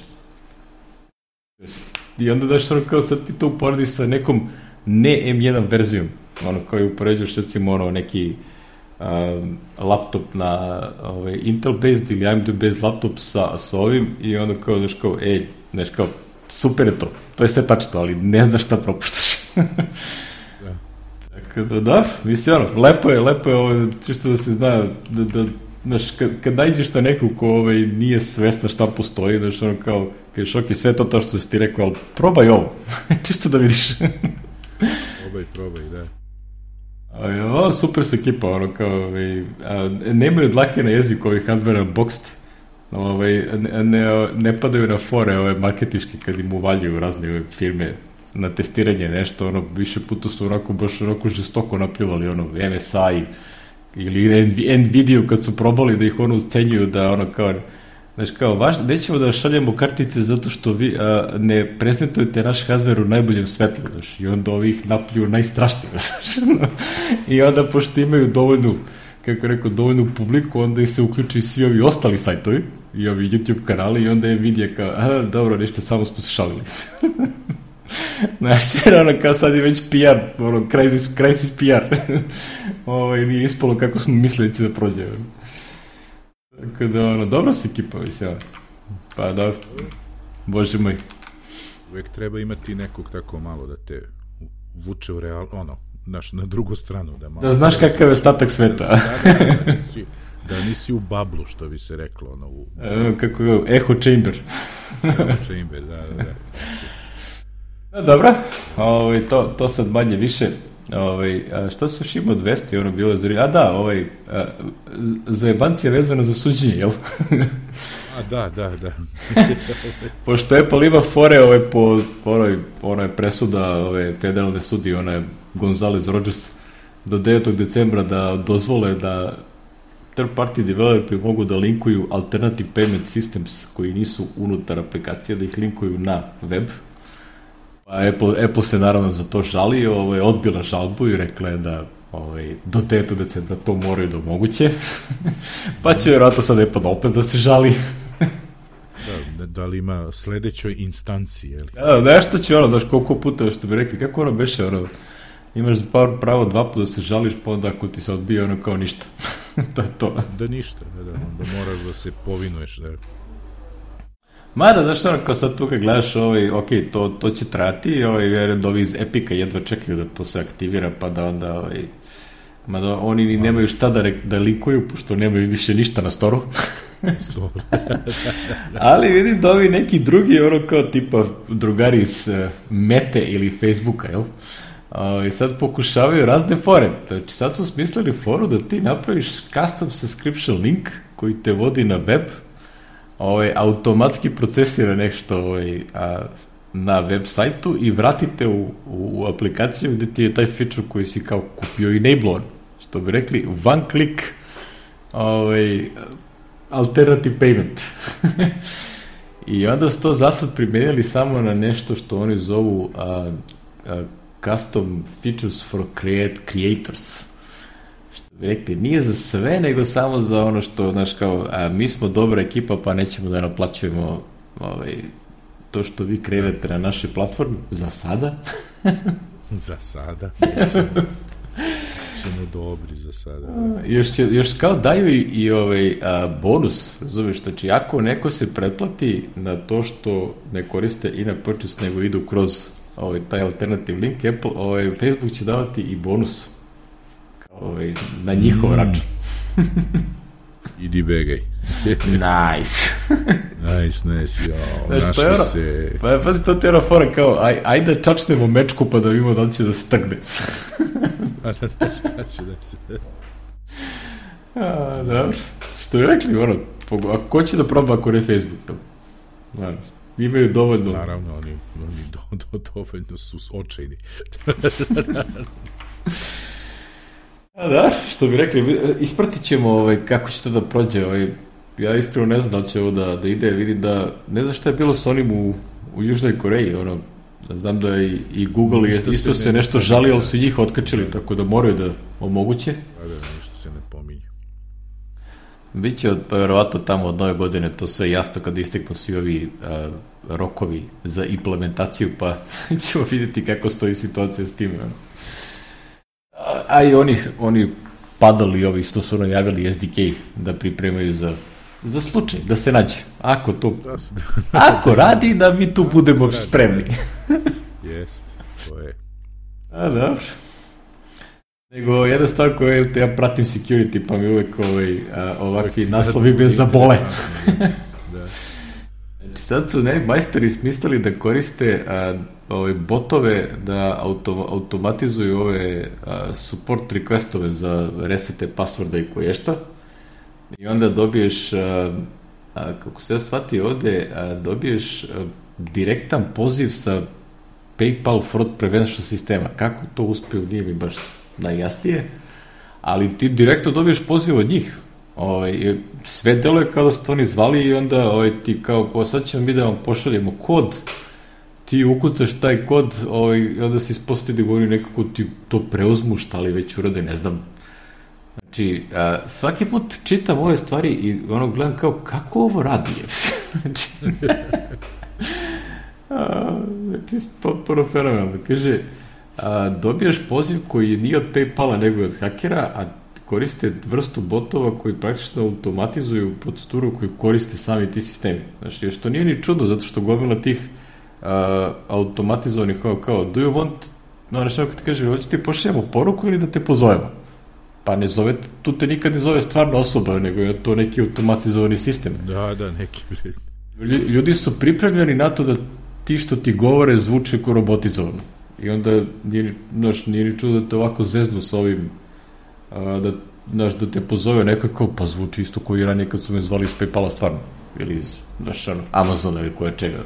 I onda daš ono kao sad ti to uporediš sa nekom ne M jedan verzijom, ono kao je upoređuješ recimo ono neki um, laptop na ovaj, Intel based ili A M D based laptop sa, sa ovim i onda kao daš kao, ej, znaš kao, super je to, to je sve tačno, ali ne znaš šta propuštaš. Da, da, mislim, ono, lepo je, lepo je ovo, čisto da se zna, da, da, znaš, kad, kad nađeš na neku ko ovaj, nije svesna šta postoji, znaš, ono, kao, kažeš, ok, sve to to što si ti rekao, ali probaj ovo, čisto da vidiš. Probaj, probaj, da. A, ovo, super su ekipa, ono, kao, ovaj, a, nemaju dlake na jeziku ovih hardware unboxed, ovaj, ne, ne, ne padaju na fore ove marketiške kad im uvaljuju razne ove firme na testiranje nešto, ono, više puta su onako baš onako žestoko napljuvali, ono, M S I ili Nvidia kad su probali da ih ono ucenjuju da ono kao Znaš kao, vaš, nećemo da šaljemo kartice zato što vi a, ne prezentujete naš hardware u najboljem svetlu, znaš, i onda ovih napljuju najstrašnije, znaš, i onda pošto imaju dovoljnu, kako rekao, dovoljnu publiku, onda i se uključi svi ovi ostali sajtovi i ovi YouTube kanali i onda je vidje kao, a, dobro, ništa, samo smo se šalili. Znaš, jer ono kao sad je već P R, ono, crisis, crisis P R. Ovo, nije ispalo kako smo mislili da će da prođe. Tako da, ono, dobro si ekipa, mislim. Pa, dobro. Bože moj. Uvijek treba imati nekog tako malo da te vuče u real, ono, znaš, na drugu stranu. Da, malo da znaš kakav je ostatak sveta. Da, da, da, da, nisi, da nisi u bablu, što bi se reklo, ono, u... E, kako je, echo chamber. Echo chamber, da, da, da. No, dobro, ovaj, to, to sad manje više. Ovaj, a što su još imao dvesta, ono bilo za... A da, ovaj, a, zajebancija vezana za suđenje, jel? A da, da, da. Pošto Apple ima fore ovaj, po onoj, onoj presuda ove federalne sudije, ona je Gonzales Rogers, do devetog decembra da dozvole da third party developeri mogu da linkuju alternative payment systems koji nisu unutar aplikacije, da ih linkuju na web. Pa Apple, Apple se naravno za to žali, ovaj, odbila žalbu i rekla je da ovaj, do devetog decembra to moraju da omoguće. Pa će vjerojatno sad Apple opet da se žali. Da, da li ima sledećoj instanciji, je li? Da, nešto će ono, daš koliko puta što bi rekli, kako ono beše, ono, imaš pravo dva puta da se žališ, pa onda ako ti se odbije, ono kao ništa. To je to. Da ništa, da, da, da moraš da se povinuješ, da. Mada, znaš ono, kao sad tu kad gledaš, ovaj, ok, to, to će trati, ovaj, vjerujem da ovi iz Epica jedva čekaju da to se aktivira, pa da onda, ovaj, mada oni ni nemaju šta da, da linkuju, pošto nemaju više ništa na storu. Ali vidim da ovi neki drugi, ono kao tipa drugari iz uh, Mete ili Facebooka, jel? Uh, I sad pokušavaju razne fore. Znači, sad su smislili foru da ti napraviš custom subscription link koji te vodi na web, ovaj, automatski procesira nešto ovaj, a, na web sajtu i vratite u, u, u aplikaciju gde ti je taj feature koji si kao kupio enablovan. Što bi rekli, one click ovaj, alternative payment. I onda su to zasad primenili samo na nešto što oni zovu a, a, custom features for create, creators. Što bi rekli, nije za sve, nego samo za ono što, znaš, kao, a, mi smo dobra ekipa, pa nećemo da naplaćujemo ovaj, to što vi kreirate na našoj platformi, za sada. Za sada. Ćemo dobri za sada. Još, će, još kao daju i, i ovaj, a, bonus, razumiješ, znači ako neko se pretplati na to što ne koriste in-app purchase, nego idu kroz ovaj, taj alternative link, Apple, ovaj, Facebook će davati i bonus ovaj, na njihov mm. račun. Idi begaj. Nice. Nice, nice, jao, znaš, našli pa se. Pa pazi, to te je fora kao, aj, ajde da čačnemo mečku pa da vidimo da li će da se takne. A da, da, šta će da se... A, dobro. Što je rekli, ono, a ko će da proba ako ne Facebook? Znaš, imaju dovoljno... Naravno, oni, oni do, do, dovoljno su očajni. A da, što bi rekli, ispratit ćemo ovaj, kako će to da prođe. Ovaj, ja iskreno ne znam da li će ovo da, da ide, vidim da, ne znam šta je bilo s onim u, u Južnoj Koreji, ono, znam da je i, i Google isto, isto se, se ne, nešto žali, ali su njih otkačili, da. Tako da moraju da omoguće. Da, da, ništa se ne pominje. Biće od, pa verovatno tamo od nove godine to sve jasno kada isteknu svi ovi a, rokovi za implementaciju, pa ćemo vidjeti kako stoji situacija s tim. Ono. A, a i oni, oni padali ovi što su najavili S D K da pripremaju za, za slučaj, da se nađe. Ako to, ako radi, da mi tu budemo spremni. Jest, to je. A, dobro. Nego, jedna stvar koju ja pratim security, pa mi uvek ovaj, a, ovakvi naslovi bez zabole. Da. Znači, sad su ne, majstori smislili da koriste a, ove botove da auto, automatizuju ove a, support requestove za resete passworda i koješta. I onda dobiješ, a, a, kako se ja shvatio ovde, a, dobiješ a, direktan poziv sa PayPal fraud prevention sistema. Kako to uspeo, nije mi baš najjasnije, ali ti direktno dobiješ poziv od njih. Ovaj, sve deluje kao da ste oni zvali i onda ovaj, ti kao, po, sad ćemo mi da vam pošaljemo kod, ti ukucaš taj kod ovaj, i onda se ispostavi da govori nekako ti to preuzmu, šta li već urade, ne znam. Znači, a, svaki put čitam ove stvari i ono gledam kao, kako ovo radi? Znači, a, znači potpuno fenomenalno. Kaže, a, dobijaš poziv koji nije od PayPala nego je od hakera, a koriste vrstu botova koji praktično automatizuju proceduru koju koriste sami ti sistemi. Znači, što nije ni čudno, zato što gomila tih uh, automatizovanih kao, kao do you want, no nešto kad ti kaže, hoće ti pošaljamo poruku ili da te pozovemo? Pa ne zove, tu te nikad ne zove stvarno osoba, nego je to neki automatizovani sistem. Da, da, neki bred. Ljudi su pripremljeni na to da ti što ti govore zvuče kao robotizovano. I onda nije, znaš, nije ni čudo da te ovako zeznu sa ovim a, da, znaš, da te pozove neko kao, pa zvuči isto koji ranije kad su me zvali iz PayPala stvarno. Ili iz, znaš, ono, Amazona ili koja čega.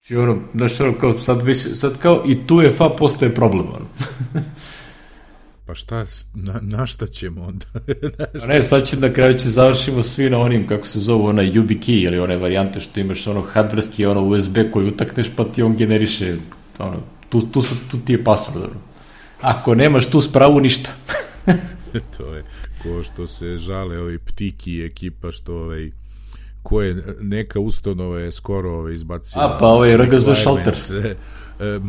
Znači, ono, znaš, ono, kao, sad, već, sad kao i tu je fa postaje problem, ono. Pa šta, na, na šta ćemo onda? A ne, sad će na kraju će završimo svi na onim, kako se zove, onaj YubiKey ili one varijante što imaš ono hardverski, ono U S B koji utakneš pa ti on generiše, ono, tu, tu, su, tu ti je password. Ono. Ako nemaš tu spravu, ništa. To je ko što se žale ovi Ptiki i ekipa što ovaj, ko je neka ustanova je skoro ovaj, izbacila. A pa ovaj R G Z Shelters. E,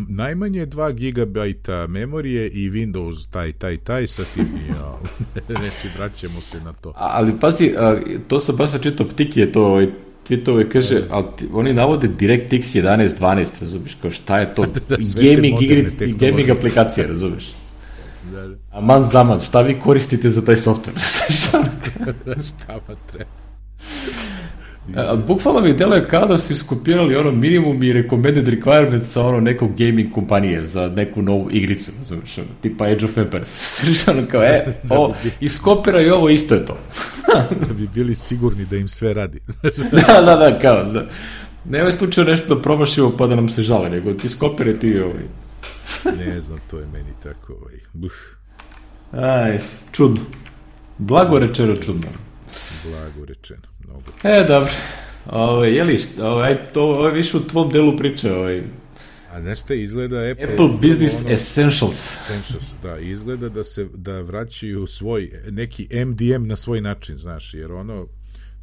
najmanje dva gigabajta memorije i Windows taj, taj, taj sa tim, ja, neći, vraćamo se na to. A, ali pazi, a, to sam baš čitao, Ptiki je to, ovaj, tweetove, kaže, ali ti, oni navode DirectX jedanaest dvanaest, razumiješ, kao šta je to, da, gaming, igric, gaming aplikacija, razumiješ. Da, da. A man zaman, šta vi koristite za taj software? Šta vam treba? A, bukvalno mi deluje kao da su iskopirali ono minimum i recommended requirement sa ono nekog gaming kompanije za neku novu igricu, razumiješ, ono, tipa Age of Empires. Ono kao, e, o, iskopiraju ovo, isto je to. Da bi bili sigurni da im sve radi. Da, da, da, kao, da. Nema slučaju nešto da promašimo pa da nam se žale, nego ti iskopiraj ti ovaj. Ne znam, to je meni tako, ovaj, buh. Aj, čudno. Blago rečeno čudno. Blago rečeno. Mnogo. E, dobro. Ovo, je li, ovo, aj, to, ovo je više u tvom delu priče. Ovaj. A nešto izgleda Apple... Apple Business ono, Essentials. Essentials, da, izgleda da se, da vraćaju svoj, neki M D M na svoj način, znaš, jer ono,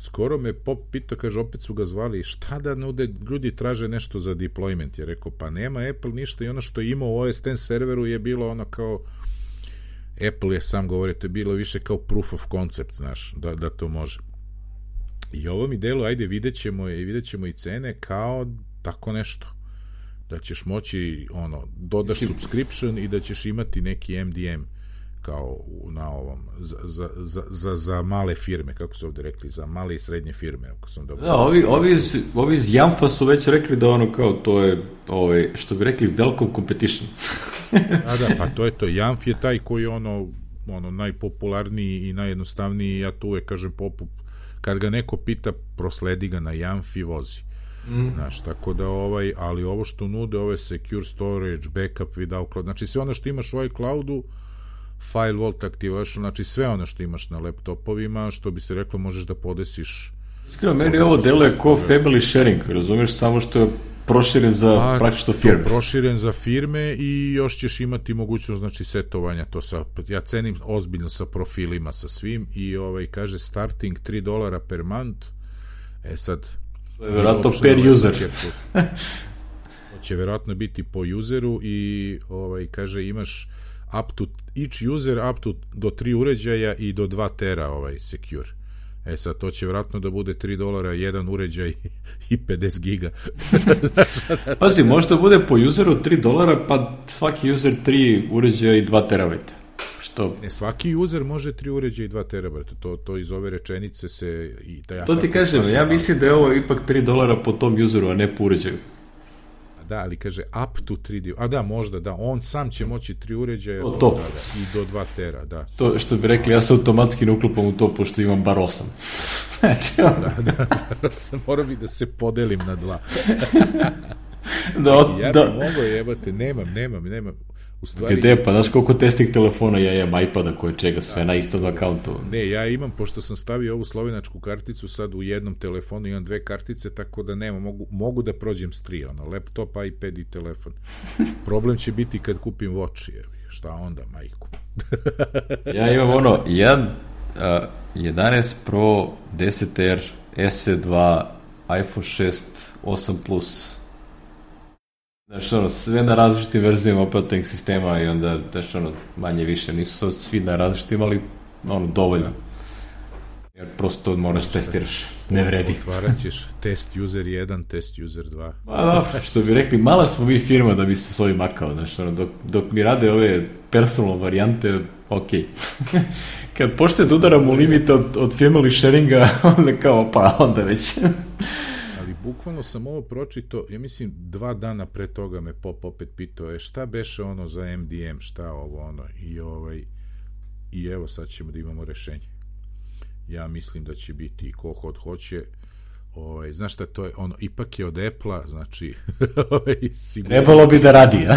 skoro me Pop pitao, kaže, opet su ga zvali, šta da nude, ljudi traže nešto za deployment, je rekao, pa nema Apple ništa i ono što je imao u O S X serveru je bilo ono kao, Apple je sam govorio, to je bilo više kao proof of concept, znaš, da, da to može. I ovo mi delu, ajde, vidjet ćemo i vidjet ćemo i cene kao tako nešto. Da ćeš moći, ono, dodaš subscription i da ćeš imati neki M D M kao na ovom, za, za, za, za, za male firme, kako su ovde rekli, za male i srednje firme, ako sam dobro. Da, ovi, ovi, iz, ovi iz Jamfa su već rekli da ono kao, to je, ovaj, što bi rekli, welcome competition. A da, pa to je to. Jamf je taj koji je ono, ono najpopularniji i najjednostavniji, ja tu uvek kažem popup, kad ga neko pita, prosledi ga na Jamf i vozi. Mm. Znaš, tako da ovaj, ali ovo što nude, ove secure storage, backup, without cloud, znači sve ono što imaš u iCloudu, file vault activation, znači sve ono što imaš na laptopovima, što bi se reklo, možeš da podesiš. Iskreno, meni ovo deluje kao family sharing, razumiješ, samo što je proširen za A, praktično firme. Proširen za firme i još ćeš imati mogućnost, znači, setovanja to sa, ja cenim ozbiljno sa profilima, sa svim i ovaj, kaže starting tri dolara per month, e sad to je vjerojatno per user. To će vjerojatno biti po useru i ovaj, kaže imaš up to, each user up to do tri uređaja i do dva tera ovaj, secure. E sad, to će vjerojatno da bude tri dolara, jedan uređaj i pedeset giga. Pazi, možda bude po useru tri dolara, pa svaki user tri uređaja i dva terabajta. Što? Ne, svaki user može tri uređaja i dva terabajta. To, to iz ove rečenice se... I taj to ti kažem, ja mislim da je ovo ipak tri dolara po tom useru, a ne po uređaju. Da, ali kaže up to tri, a da, možda, da, on sam će moći tri uređaja to, to. Da, da, i do dva tera, da. To što bi rekli, ja se automatski ne uklopam u to, pošto imam bar osam. Znači, da, da, bar osam, mora bi da se podelim na dva. da, ja da. bi mogo jebate, nemam, nemam, nemam. U stvari, gde, pa znaš koliko testih telefona ja imam, iPada, koje čega, sve da, na istom akauntu. Ne, ja imam, pošto sam stavio ovu slovenačku karticu, sad u jednom telefonu imam dve kartice, tako da nema, mogu, mogu da prođem s tri, ono, laptop, iPad i telefon. Problem će biti kad kupim Watch, je, šta onda, majku? Ja imam ono, jedan, uh, jedanaest Pro, deset R, S E dva, iPhone šest, osam plus. Znaš, ono, sve na različitim verzijama operativnih sistema i onda, znaš, ono, manje više, nisu sad svi na različitim, ali, ono, dovoljno. Jer prosto moraš testiraš, ne vredi. Otvarat ćeš test user jedan, test user dva. Ma dobro, što bi rekli, mala smo mi firma da bi se s ovim makao, znaš, ono, dok, dok mi rade ove personal varijante, ok. Kad počne da udaram u limite od, od family sharinga, onda kao, pa, onda već... Bukvalno sam ovo pročito, ja mislim dva dana pre toga me Pop opet pitao, e šta beše ono za M D M, šta ovo ono, i ovaj, i evo sad ćemo da imamo rešenje. Ja mislim da će biti, ko hod hoće, ovaj, znaš šta to je, ono, ipak je od Apple-a, znači, ovaj, sigurno... Trebalo bi da radi, a?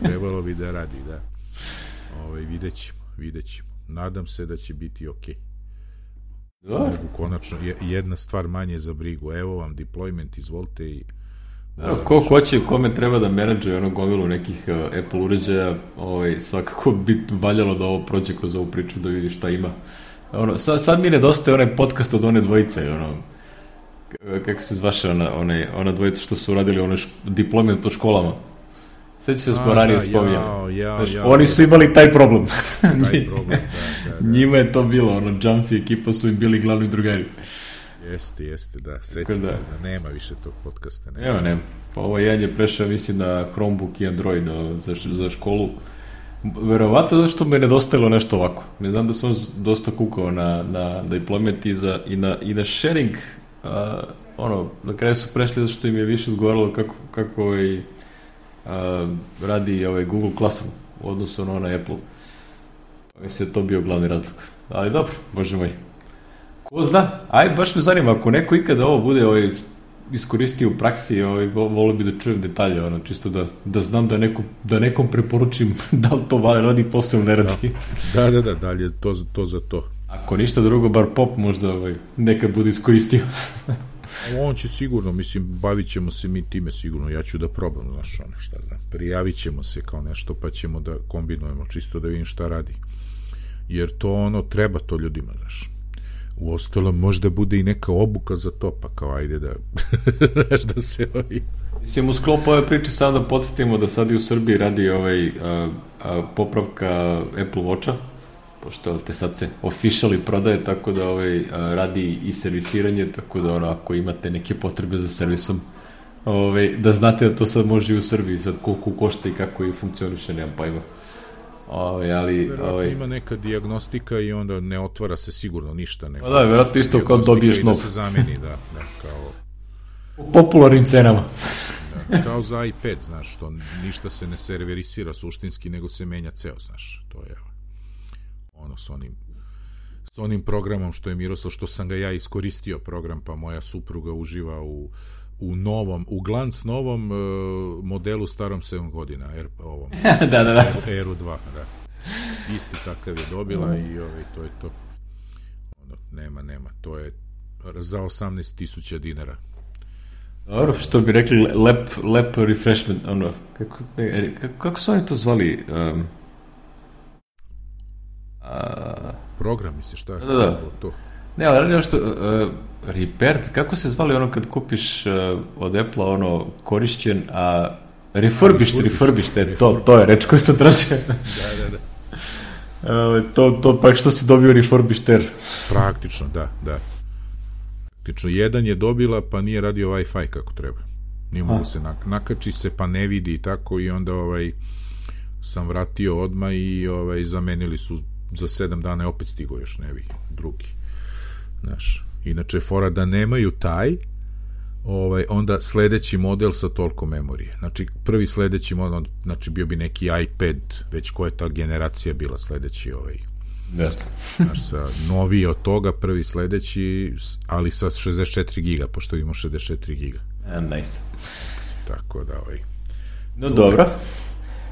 Trebalo bi da radi, da. Ovaj, vidjet ćemo, vidjet ćemo. Nadam se da će biti okej. Mogu konačno, jedna stvar manje za brigu, evo vam deployment, izvolite i... Da, ko hoće, kome treba da menadžuje ono gomilu nekih uh, Apple uređaja, ovaj, svakako bi valjalo da ovo prođe kroz ovu priču da vidi šta ima. Ono, sad, sad mi nedostaje onaj podcast od one dvojice, ono, kako se zvaše ona, one, ona dvojica što su uradili ono šk- deployment po školama. Sveći se smo ranije spominjali. Ja, ja, ja, oni su imali taj problem. Taj problem, da, da, da. Njima je to bilo, ono, Jumpy ekipa su im bili glavni drugari. Jeste, jeste, da. Sećam da. se da nema više tog podcasta. Nema, Evo, nema. Pa ovo jedan je prešao, mislim, na Chromebook i Android no, za, za školu. Verovatno zato što me nedostajalo nešto ovako. Ne znam da sam dosta kukao na, na deployment i, za, i, na, i na sharing. Uh, ono, na kraju su prešli zato što im je više odgovaralo kako, kako ovaj, Uh, radi ovaj Google Classroom u odnosu na onaj Apple. Mislim da je to bio glavni razlog. Ali dobro, bože moj. Ko zna? Aj, baš me zanima, ako neko ikada ovo bude ovaj, iskoristio u praksi, ovaj, volio bi da čujem detalje, ono, čisto da, da znam da, neko, da nekom preporučim da li to radi posao ne radi. Da, da, da, dalje to, to za to. Ako ništa drugo, bar Pop možda ovaj, nekad bude iskoristio. On će sigurno, mislim, bavit ćemo se mi time sigurno, ja ću da probam, znaš, ono, šta znam, prijavit ćemo se kao nešto, pa ćemo da kombinujemo, čisto da vidim šta radi. Jer to, ono, treba to ljudima, znaš. U ostalo možda bude i neka obuka za to, pa kao, ajde da, znaš, da se ovi... Mislim, u sklopu ove priče samo da podsjetimo da sad i u Srbiji radi ovaj, a, a, popravka Apple Watcha, pošto te sad se officially prodaje, tako da ovaj, radi i servisiranje, tako da ono, ako imate neke potrebe za servisom, ovaj, da znate da to sad može i u Srbiji, sad koliko košta i kako i funkcioniše, nemam pojma. Ovaj, ali, verovatno ovaj... ima neka dijagnostika i onda ne otvara se sigurno ništa. Neko, da, verovatno isto kao dobiješ nov. Da se zameni, da, da, kao... U popularnim cenama. Da, kao za iPad, znaš, to ništa se ne serverisira suštinski, nego se menja ceo, znaš, to je ono s onim, s onim programom što je Miroslav, što sam ga ja iskoristio program, pa moja supruga uživa u, u novom, u glanc novom uh, modelu starom sedam godina, R, ovom, da, da, da. R U dva, da. Isti takav je dobila i ovaj, to je to. Ono, nema, nema, to je za osamnaest tisuća dinara. Dobro, što bi rekli, lep, lep refreshment, ono, kako, ne, kako, kako su oni to zvali? Um, a... Program, misliš, šta je? Da, da. To? Ne, ali radi što, uh, repair, kako se zvali ono kad kupiš uh, od Apple-a ono korišćen, a refurbished, refurbished, refurb. to, to je reč koju sam tražio. Da, da, da. Uh, to, to pa što si dobio refurbished. Praktično, da, da. Praktično, jedan je dobila, pa nije radio Wi-Fi kako treba. Nije mogu se nak- nakači se, pa ne vidi i tako, i onda ovaj, sam vratio odmah i ovaj, zamenili su za sedam dana i opet stigo još nevi drugi. Znaš, inače fora da nemaju taj, ovaj, onda sledeći model sa toliko memorije. Znači, prvi sledeći model, znači bio bi neki iPad, već koja je ta generacija bila sledeći ovaj. Jasno. Znaš, sa noviji od toga, prvi sledeći, ali sa šezdeset četiri giga, pošto imamo šezdeset četiri giga. And nice. Tako da, ovaj. No, dobro.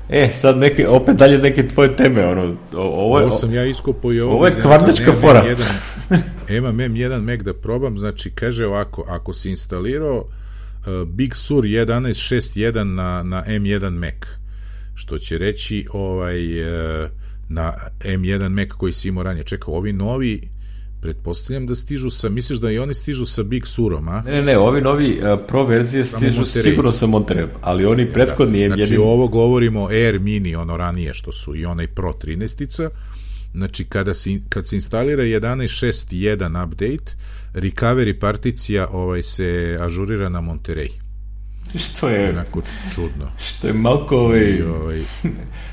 E, sad neke, opet dalje neke tvoje teme, ono, ovo je... Ovo sam ja iskopo i ovo... Ovo je kvarnačka fora. Imam em jedan Mac da probam, znači, kaže ovako, ako si instalirao uh, Big Sur jedanaest šezdeset jedan na, na em jedan Mac, što će reći ovaj, uh, na em jedan Mac koji si imao ranije. Čekaj, ovi novi, pretpostavljam da stižu sa, misliš da i oni stižu sa Big Surom, a? Ne, ne, ne, ovi novi uh, Pro verzije stižu sigurno sa Monterey, ali oni ja, prethodni em jedan... Znači, ovo govorimo Air Mini, ono ranije što su, i onaj Pro trinaestica. Znači, kada se, kad se instalira jedanaest šezdeset jedan update, recovery particija ovaj, se ažurira na Monterey. Što je... Onako čudno. Što je malko ovaj... ovaj...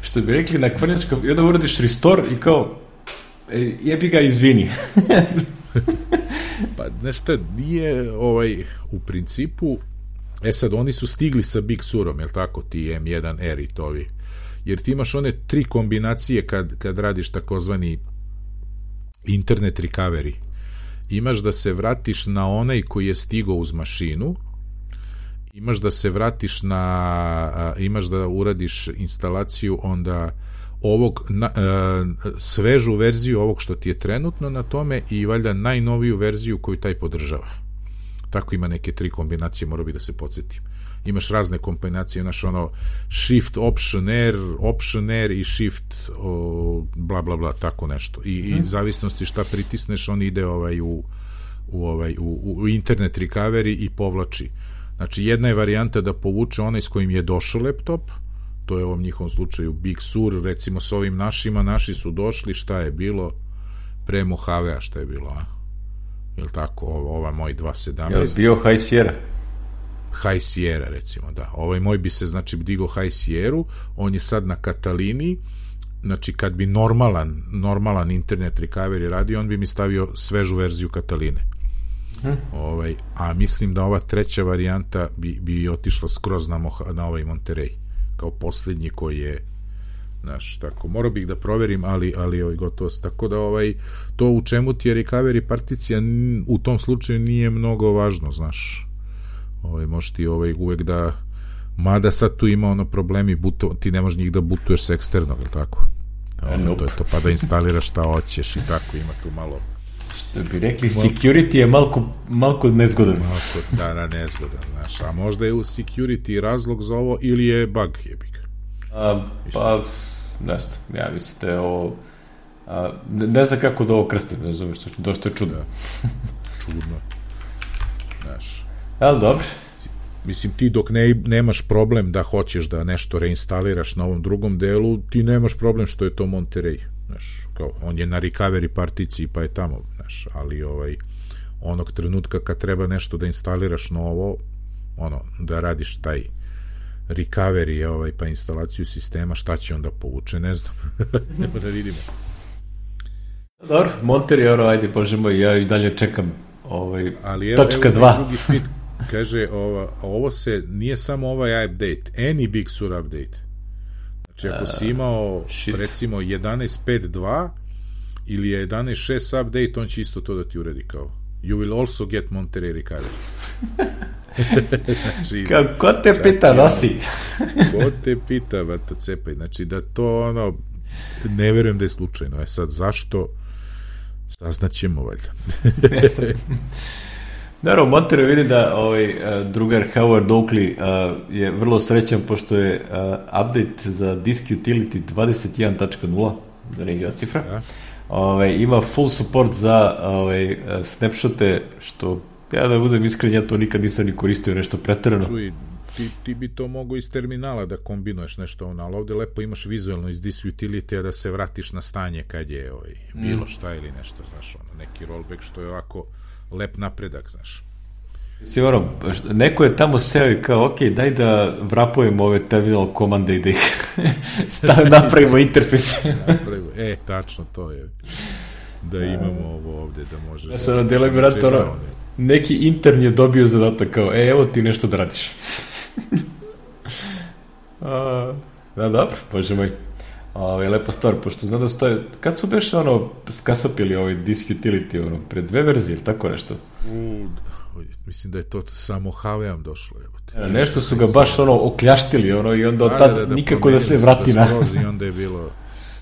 što bi rekli na kvarnjačka... I onda uradiš restore i kao... E, jebi ga, izvini. Pa, znaš šta, nije ovaj, u principu... E sad, oni su stigli sa Big Surom, jel tako, ti em jedan R i tovi. Jer ti imaš one tri kombinacije kad, kad radiš takozvani internet recovery. Imaš da se vratiš na onaj koji je stigao uz mašinu, imaš da se vratiš na, a, imaš da uradiš instalaciju onda ovog, na, a, svežu verziju ovog što ti je trenutno na tome i valjda najnoviju verziju koju taj podržava. Tako ima neke tri kombinacije, mora bi da se podsjetim. Imaš razne kombinacije, imaš ono shift option R, option R i shift o, bla bla bla, tako nešto. I, hmm. i zavisnosti šta pritisneš, on ide ovaj u, u, ovaj, u, u internet recovery i povlači. Znači, jedna je varijanta da povuče onaj s kojim je došao laptop, to je u ovom njihovom slučaju Big Sur, recimo s ovim našima, naši su došli, šta je bilo pre Mojave-a, šta je bilo, a? Jel tako, ova, ova moj dva sedamnaest. Je bio High Sierra? High Sierra, recimo, da. Ovaj moj bi se, znači, digo High Sierra, on je sad na Katalini, znači, kad bi normalan, normalan internet recovery radio, on bi mi stavio svežu verziju Kataline. Hmm. Ovaj, a mislim da ova treća varijanta bi, bi otišla skroz na, Moha, na ovaj Monterey, kao posljednji koji je, znaš, tako, morao bih da proverim, ali, ali ovaj, gotovo, tako da ovaj, to u čemu ti je recovery particija u tom slučaju nije mnogo važno, znaš, ovaj, možeš ti ovaj, uvek da, mada sad tu ima ono problemi, buto, ti ne možeš njih da butuješ sa eksternog, ili tako? Ovaj, nope. To je to, pa da instaliraš šta hoćeš i tako, ima tu malo. Što bi rekli, security je malko, malko nezgodan. Malko, da, da, nezgodan, znaš, a možda je u security razlog za ovo ili je bug, jebik. A, pa, ne znam, ja mislim da je ovo, a, ne, ne znam kako da ovo krstim, ne znam, što, došto je čudno. Da. Čudno, znaš. Ali dobro. Mislim, ti dok ne, nemaš problem da hoćeš da nešto reinstaliraš na ovom drugom delu, ti nemaš problem što je to Monterey, znaš, kao, on je na recovery particiji pa je tamo, znaš, ali ovaj, onog trenutka kad treba nešto da instaliraš novo, ono, da radiš taj recovery, ovaj, pa instalaciju sistema, šta će onda povuče, ne znam. Nema da vidimo. Dobro, Monterey, ono, ajde, bože moj, ja i dalje čekam ovaj, ali tačka evo, dva. Drugi tweet kaže, ovo, ovo se, nije samo ovaj update, any Big Sur update. Znači, ako si imao, uh, recimo, jedanaest pet dva ili je jedanaest šest update, on će isto to da ti uredi kao you will also get Monterey recovery. Znači, kao, ko te pita, nosi? Ko te pita, vato cepaj. Znači, da to, ono, ne verujem da je slučajno. E sad, zašto? Saznaćemo, valjda. Naravno, Monterey vidi da ovaj, drugar Howard Oakley uh, je vrlo srećan pošto je uh, update za Disk Utility dvadeset jedan tačka nula, da ne igra cifra, ja. ovaj, ima full support za ovaj, snapshote, što ja da budem iskren, ja to nikad nisam ni koristio nešto preterano. Čuj, ti, ti bi to mogo iz terminala da kombinuješ nešto ono, ali ovde lepo imaš vizualno iz Disk Utility da se vratiš na stanje kad je ovaj, bilo šta ili nešto, znaš, ono, neki rollback što je ovako lep napredak, znaš. Si ono, neko je tamo seo i kao, ok, daj da vrapujemo ove terminal komande i da ih stav, napravimo interfejse. Napravimo, e, tačno to je. Da imamo ovo ovde, da možeš... Znaš, ono, delo mi rata, ono, neki intern je dobio zadatak kao, e, evo ti nešto da radiš. A, da, dobro, bože moj. Ovo je lepa stvar, pošto znam da stoje, kad su beš ono skasapili ovaj Disk Utility, ono, pre dve verzije, ili tako nešto? U, mislim da je to samo Haveam došlo. Ja, nešto su ga baš ono okljaštili ono, i onda od tad da, da, da, nikako da se vrati na... I onda je bilo,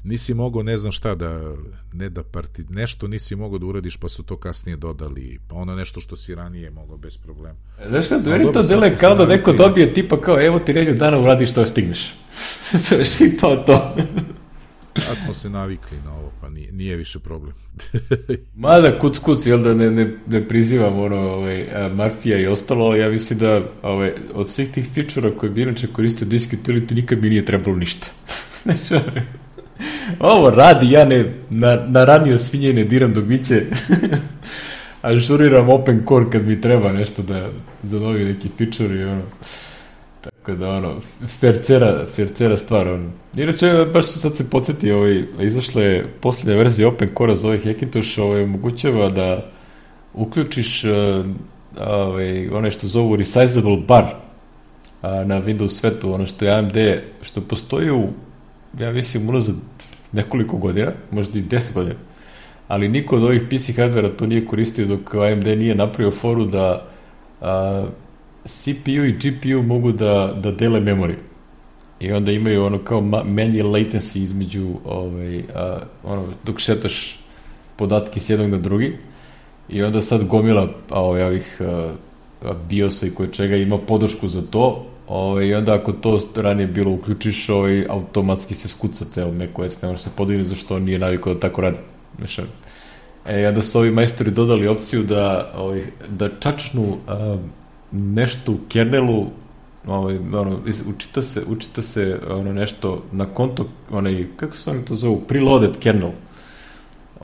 nisi mogao ne znam šta da, ne da parti, nešto nisi mogao da uradiš pa su to kasnije dodali, pa ono nešto što si ranije mogao bez problema. Znaš kada, meni to dele kao da neko dobije tipa kao evo ti redju dana uradiš što stigneš. Sve i to to. Sad smo se navikli na ovo, pa nije, nije više problem. Mada kuc kuc, jel da ne, ne, ne prizivam ono, ovaj, Murphy-a i ostalo, ali ja mislim da ovaj, od svih tih feature-a koje bi inače koristio disk utility nikad mi nije trebalo ništa. Znači, ovo radi, ja ne, na, na ranio svinje ne diram dok biće, ažuriram open core kad mi treba nešto da za novi neki feature i ono, tako da ono, fercera, fercera stvar, ono. Inače, baš su sad se podsjeti, ovaj, izašla je posljednja verzija open core-a za ovaj Hackintosh, ovaj, omogućava da uključiš uh, ovaj, one što zovu resizable bar uh, na Windows svetu, ono što je A M D, što postoji u, ja mislim, unazad nekoliko godina, možda i deset godina, ali niko od ovih P C hardvera to nije koristio dok A M D nije napravio foru da uh, C P U i G P U mogu da, da dele memoriju. I onda imaju ono kao manje latency između ovaj, a, ono, dok šetaš podatke s jednog na drugi. I onda sad gomila ovaj, ovih a, a, BIOS-a i koje čega ima podršku za to. Ovaj, I onda ako to ranije bilo uključiš, ovaj, automatski se skuca ceo macOS, ne može se podignuti zašto on nije navikao da tako radi. Znači, e, onda su ovi majstori dodali opciju da, ovaj, da čačnu a, nešto u kernelu, ovaj, ono, učita se, učita se ono nešto na konto, onaj, kako se oni to zovu, preloaded kernel,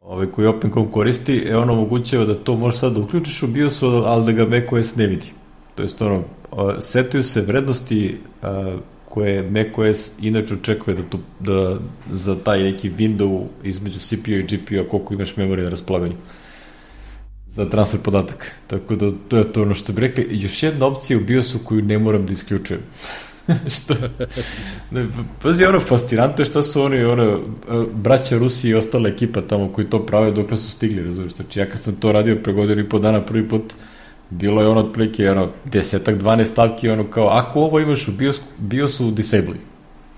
ovaj, koji OpenCom koristi, e, ono omogućava da to možeš sad da uključiš u BIOS-u, ali da ga macOS ne vidi. To jest, ono, setuju se vrednosti a, koje macOS inače očekuje da, tu, da za taj neki window između C P U i G P U-a koliko imaš memorije na raspolaganju za transfer podataka. Tako da to je to ono što bi rekli. Još jedna opcija u BIOS-u koju ne moram da isključujem. što? Ne, pazi, ono fascinantno je šta su oni, ono, braća Rusi i ostala ekipa tamo koji to prave dokle su stigli, razumiješ. Znači, ja kad sam to radio pre godinu i po dana prvi put, bilo je ono otprilike ono, desetak, dvanaest stavki, ono kao, ako ovo imaš u BIOS, BIOS-u, disabli.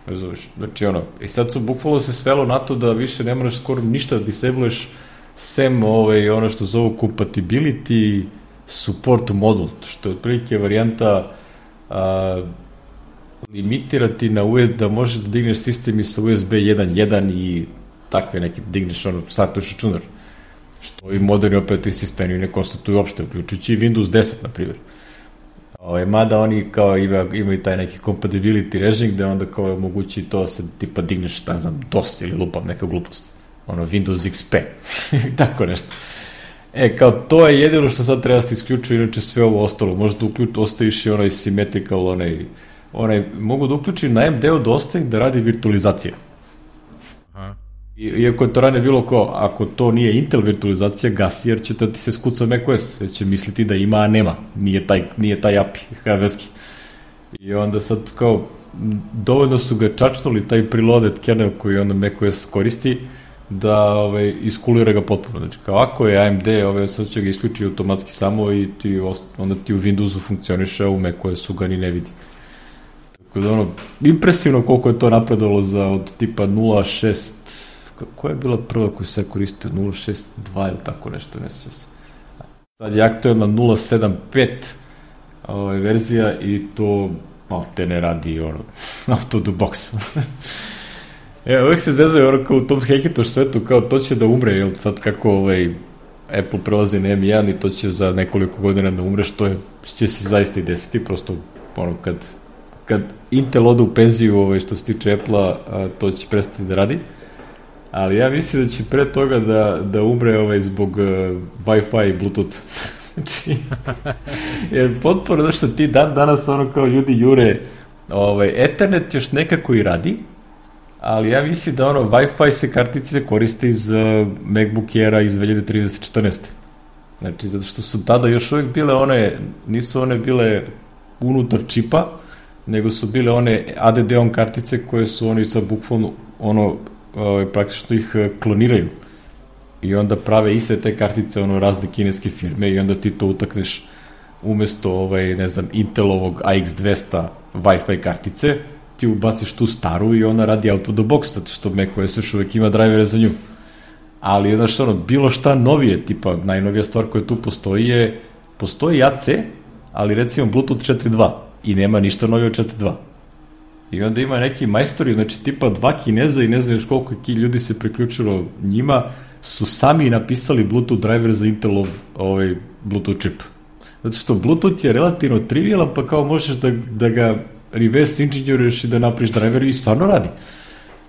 Razumiješ. Znači, ono, i sad su bukvalno se svelo na to da više ne moraš skoro ništa da disabluješ sem ovaj, ono što zovu compatibility support module, što je otprilike varijanta a, limitirati na U S B, da možeš da digneš sistem i sa U S B jedan punto jedan i takve neke digneš, ono, startuješ računar, što i moderni operativni sistemi ne konstatuju uopšte, uključujući Windows deset, na primjer. Ovaj, mada oni kao ima, imaju taj neki compatibility režim gde onda kao je mogući to da se tipa digneš, ne znam, DOS ili lupam neka glupost. Ono, Windows X P, tako nešto. E, kao, to je jedino što sad treba da se isključuje, inače sve ovo ostalo. Možda uključ, ostaviš i onaj symmetrical, onaj, onaj, mogu da uključim na A M D-u da ostavim da radi virtualizacija. Aha. I, iako je to ranije bilo kao, ako to nije Intel virtualizacija, gasi, jer će da ti se skuca macOS, jer će misliti da ima, a nema. Nije taj, nije taj A P I, hardverski. I onda sad, kao, dovoljno su ga čačnuli, taj preloaded kernel koji onda macOS koristi, da ovaj, iskulira ga potpuno. Znači, kao ako je A M D, ovaj, sad će ga isključiti automatski samo i ti, onda ti u Windowsu funkcioniše, a u macOS-u ga ni ne vidi. Tako da, ono, impresivno koliko je to napredovalo za od tipa nula šest, koja je bila prva koju se koristio, nula šest dva ili tako nešto, ne sjeća se. Sad je aktualna nula sedam pet ovaj, verzija i to malo te ne radi, ono, out of the box. E, uvijek se zezaju ono kao u tom Hackintosh svetu, kao to će da umre, jel sad kako ovaj Apple prelazi na M jedan i to će za nekoliko godina da umre, što je, će se zaista i desiti, prosto ono kad, kad Intel ode u penziju, ovaj, što se tiče Apple-a, to će prestati da radi, ali ja mislim da će pre toga da, da umre ovaj, zbog uh, Wi-Fi i Bluetooth. Znači, jer potpuno da što ti dan danas ono kao ljudi jure, ovaj, Ethernet još nekako i radi, ali ja mislim da ono Wi-Fi se kartice koriste iz uh, MacBook Aira iz dve hiljade trinaeste četrnaeste. Znači, zato što su tada još uvijek bile one, nisu one bile unutar čipa, nego su bile one A D D-om kartice koje su oni sa bukvalno ono, uh, praktično ih uh, kloniraju. I onda prave iste te kartice, ono, razne kineske firme i onda ti to utakneš umesto ovaj, ne znam, Intelovog A X dvesta Wi-Fi kartice, ti ubaciš tu staru i ona radi out of the box, zato što macOS još uvek ima drajvere za nju. Ali, znaš, ono, bilo šta novije, tipa, najnovija stvar koja tu postoji je, postoji A C, ali recimo Bluetooth četiri dva i nema ništa novije od četiri dva. I onda ima neki majstori, znači tipa dva Kineza i ne znam još koliko ljudi se priključilo njima, su sami napisali Bluetooth driver za Intelov ovaj, Bluetooth čip. Zato što Bluetooth je relativno trivialan, pa kao možeš da, da ga reverse engineeruješ i da napriš driver i stvarno radi.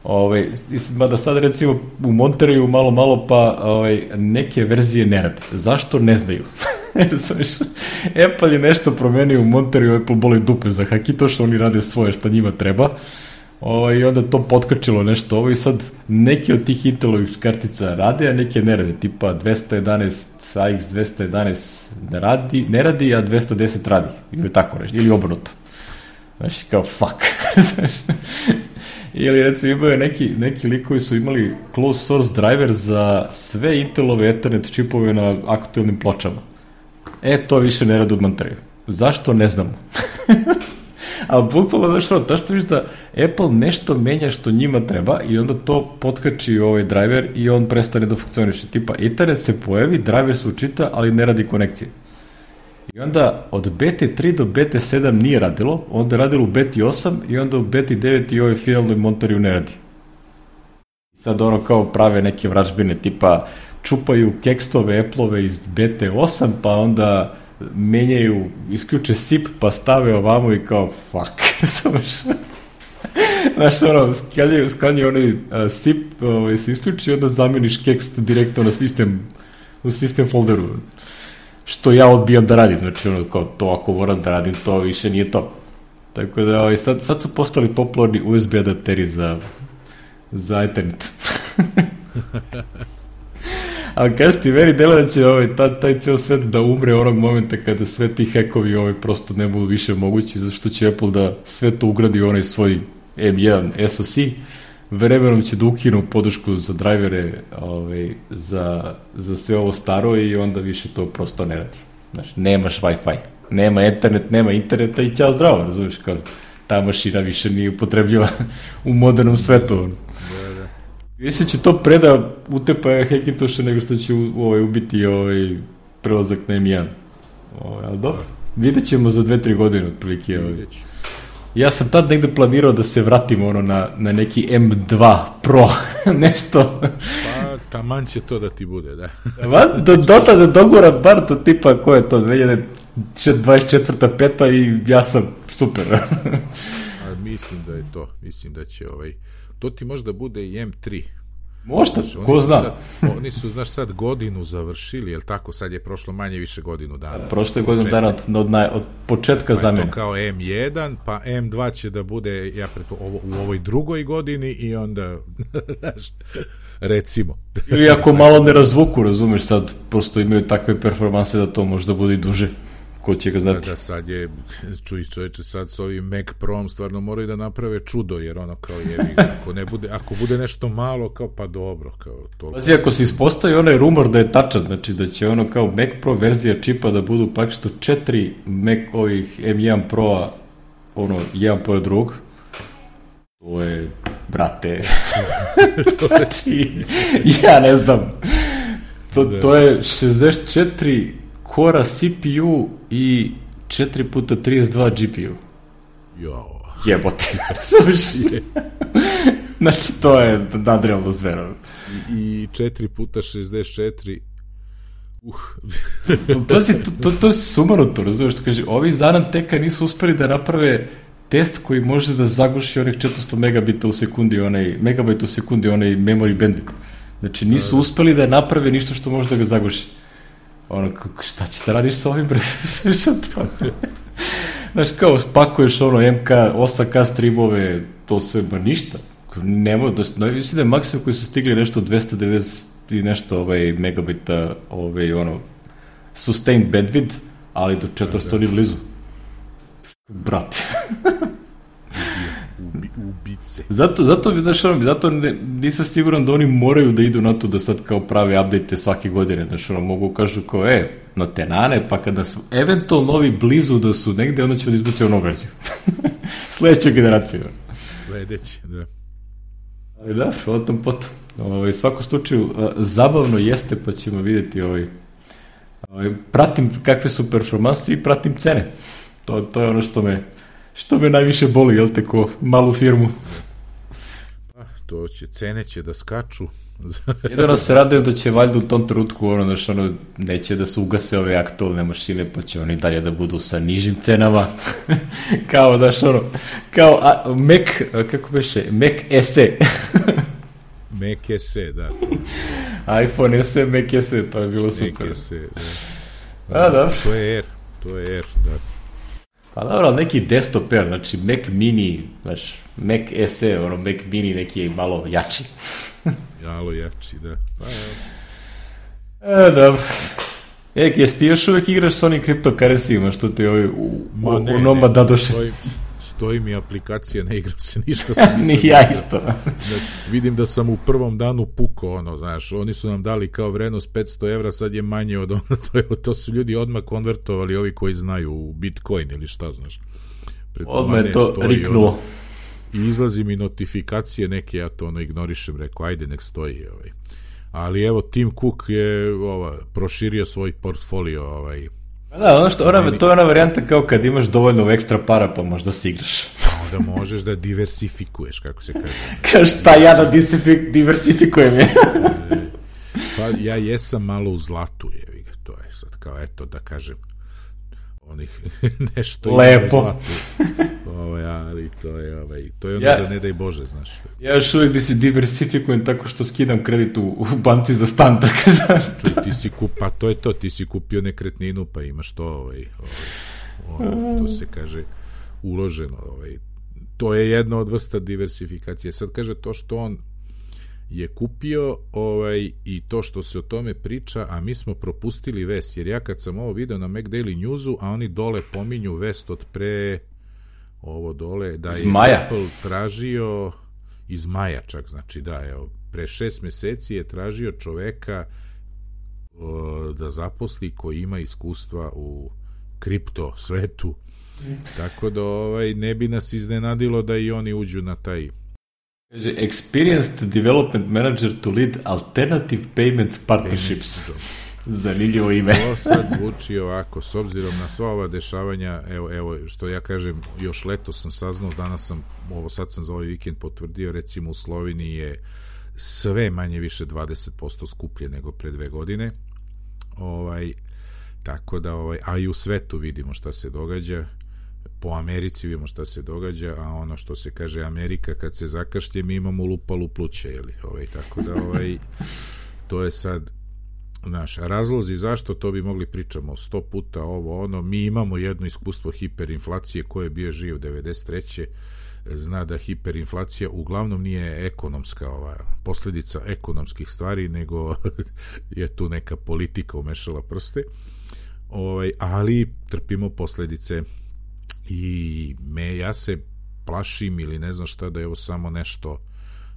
Ovaj, mada sad recimo u Monterreyu malo malo pa ovaj, neke verzije ne rade. Zašto? Ne znaju. Apple je nešto promenio u Monterreyu, Apple boli dupe za haki, to što oni rade svoje šta njima treba. O, i onda to potkačilo nešto ovo i sad neke od tih Intelovih kartica rade, a neke ne rade, tipa dvesta jedanaest, A X dvesta jedanaest ne radi, ne radi, a dvesta deset radi, ili tako nešto, ili obrnuto. Znači, kao fuck. Ili recimo imaju neki, neki likovi su imali closed source driver za sve Intelove Ethernet čipove na aktualnim pločama. E, to više ne radi u Monterreyu. Zašto? Ne znamo. Ali bukvalno, znaš ono, ta što viš da Apple nešto menja što njima treba i onda to potkači ovaj driver i on prestane da funkcioniše. Tipa, Ethernet se pojavi, driver se učita, ali ne radi konekcije. I onda od B T tri do B T sedam nije radilo, onda je radilo u B T osam i onda u B T devet i ovaj finalnoj Monterreyu ne radi. Sad ono kao prave neke vražbine, tipa čupaju kekstove Apple-ove iz B T osam, pa onda menjaju, isključe S I P, pa stave ovamo i kao, fuck, znaš, ono, sklanjaju, sklanjaju onaj S I P, ovaj, se isključi i onda zameniš kekst direktno na sistem, u sistem folderu, što ja odbijam da radim, znači, ono, kao, to ako moram da radim, to više nije to. Tako da, ovaj, sad, sad su postali popularni U S B adapteri za, za Ethernet. Ali kažeš ti, meni delo da će ovaj, taj, taj ceo svet da umre onog momenta kada sve ti hekovi ovaj, prosto ne budu više mogući, zašto će Apple da sve to ugradi u onaj svoj M jedan S O C, vremenom će da ukinu podršku za drajvere ovaj, za, za sve ovo staro i onda više to prosto ne radi. Znači, nemaš Wi-Fi, nema internet, nema interneta i ćao zdravo, razumiješ, kao ta mašina više nije upotrebljiva u modernom svetu. Mislim će to preda utepa Hackintoša nego što će u, ovaj, ubiti ovaj prelazak na M jedan. Ovaj, ali dobro, vidjet ćemo za dve tri godine otprilike. Ovaj. Ja sam tad negde planirao da se vratim ono na, na neki M dva Pro, nešto. Pa, taman će to da ti bude, da. Do, do tada dogora bar to tipa, ko je to, dve hiljade dvadeset četvrta peta i ja sam super. A mislim da je to, mislim da će ovaj... To ti možda bude i M tri. Možda, znači, ko zna. Sad, oni su, znaš, sad godinu završili, jel tako? Sad je prošlo manje više godinu dana. Prošlo je godinu dana od, od, naj, od početka pa zamjene. To kao M jedan, pa M dva će da bude ja preto, ovo, u ovoj drugoj godini i onda, znaš, recimo. Ili ako malo ne razvuku, razumeš, sad prosto imaju takve performanse da to možda bude i duže. Ko će ga znati. Da, da, sad je, čuj čoveče, sad s ovim Mac Pro-om stvarno moraju da naprave čudo, jer ono kao je, ako, ne bude, ako bude nešto malo, kao pa dobro, kao toliko. Pazi, ako se ispostavi onaj rumor da je tačan, znači da će ono kao Mac Pro verzija čipa da budu praktično četiri Mac ovih M jedan Pro-a, ono, jedan pored drugog, to je, brate, znači, ja ne znam, to, to je šezdeset četiri kora C P U i četiri puta trideset dva G P U. Jo. Jebote. Znači, to je nadrealno zvero. I, i četiri puta šezdeset četiri uh. Pazi, to, to, to je sumanuto, razumiješ što kaže, ovi Zananteka nisu uspeli da naprave test koji može da zaguši onih četiristo megabita u sekundi, onaj, megabajta u sekundi, onaj memory bandwidth. Znači, nisu uspeli da naprave ništa što može da ga zaguši. Ono, šta ćeš da radiš sa ovim, bre? Znaš, kao, spakuješ ono M K, osam K streamove, to sve, ba ništa. Nemo, da, mislim da je maksimum koji su stigli nešto dvesta devedeset i nešto ovaj, megabita, ovaj, ono, sustained bandwidth, ali do četiristo ni blizu. Brate. Ubice. Zato, zato, znaš, ono, zato ne, nisam siguran da oni moraju da idu na to da sad kao prave update svake godine, znaš, ono, mogu kažu kao, e, no te nane, pa kada su eventualno novi blizu da su negde, onda će da izbaci onu verziju. Sledeća generacija. Sledeći, da. Ali da, o tom potom. Ovaj, svako slučaju, zabavno jeste, pa ćemo vidjeti, ovaj, ovaj, pratim kakve su performanse i pratim cene. To, to je ono što me, što me najviše boli, jel te, ko malu firmu. Pa, to će, cene će da skaču. Jedino se radujem da će valjda u tom trenutku ono, znaš, ono, neće da se ugase ove aktualne mašine, pa će oni dalje da budu sa nižim cenama. Kao, znaš, ono, kao a, Mac, kako beše, Mac S E. Mac S E, da. iPhone S E, Mac S E, to je bilo super. Mac S E, da. A, da. To je Air, to je Air, da. Pa dobro, ali neki desktop Air, znači Mac Mini, znaš, Mac S E, ono, Mac Mini neki malo jači. Malo jači, da. Pa, e, dobro. E, jesi ti još uvek igraš s onim kriptokarencijima, što ti ovi u, Ma, u, ne, u Noma ne, dadoše? Stoji, stoji mi aplikacija, ne igram se ništa. Sam Ni ja isto. Znači, vidim da sam u prvom danu pukao, ono, znaš, oni su nam dali kao vrednost petsto evra, sad je manje od ono, to, je, to su ljudi odmah konvertovali, ovi koji znaju u Bitcoin ili šta, znaš. Odmah je to riknulo. Ono, i izlazi mi notifikacije neke, ja to ono ignorišem, rekao, ajde, nek stoji, ovaj. Ali evo, Tim Cook je ova, proširio svoj portfolio, ovaj. Da, ono što, ona, meni... to je ona varijanta kao kad imaš dovoljno ekstra para, pa možda si igraš. Onda možeš da diversifikuješ, kako se kaže. Kaš, šta ja da diversifikujem je? Pa ja jesam malo u zlatu, jevi ga, to je sad kao, eto, da kažem, onih nešto lepo. Ovaj, ali to je, ovaj, to je ono ja, za ne daj Bože, znaš. Ja još uvijek da si diversifikujem tako što skidam kredit u, u banci za stan, tako da... Čuj, ti si kup, pa to je to, ti si kupio nekretninu, pa imaš to, ovaj, ovaj, ono što se kaže, uloženo, ovaj. To je jedna od vrsta diversifikacije. Sad kaže to što on je kupio ovaj, i to što se o tome priča, a mi smo propustili vest, jer ja kad sam ovo video na MacDaily Newsu, a oni dole pominju vest od pre ovo dole, da je Maja. Apple tražio iz maja čak, znači da, evo, pre šest meseci je tražio čoveka o, da zaposli koji ima iskustva u kripto svetu, mm. tako da ovaj, ne bi nas iznenadilo da i oni uđu na taj. Kaže, experienced development manager to lead alternative payments partnerships. Zanimljivo ime. To sad zvuči ovako, s obzirom na sva ova dešavanja, evo, evo, što ja kažem, još leto sam saznao, danas sam, ovo sad sam za ovaj vikend potvrdio, recimo u Sloveniji je sve manje više dvadeset posto skuplje nego pre dve godine. Ovaj, tako da, ovaj, a i u svetu vidimo šta se događa. Po Americi vidimo šta se događa, a ono što se kaže Amerika kad se zakašlje, mi imamo lupalu pluća, jeli, ovaj, tako da ovaj, to je sad naš razlozi zašto, to bi mogli pričamo sto puta ovo ono, mi imamo jedno iskustvo hiperinflacije, ko je bio živ devedeset treće zna da hiperinflacija uglavnom nije ekonomska ova, posljedica ekonomskih stvari, nego je tu neka politika umešala prste, ovaj, ali trpimo posljedice. I me, ja se plašim ili ne znam šta da je ovo samo nešto,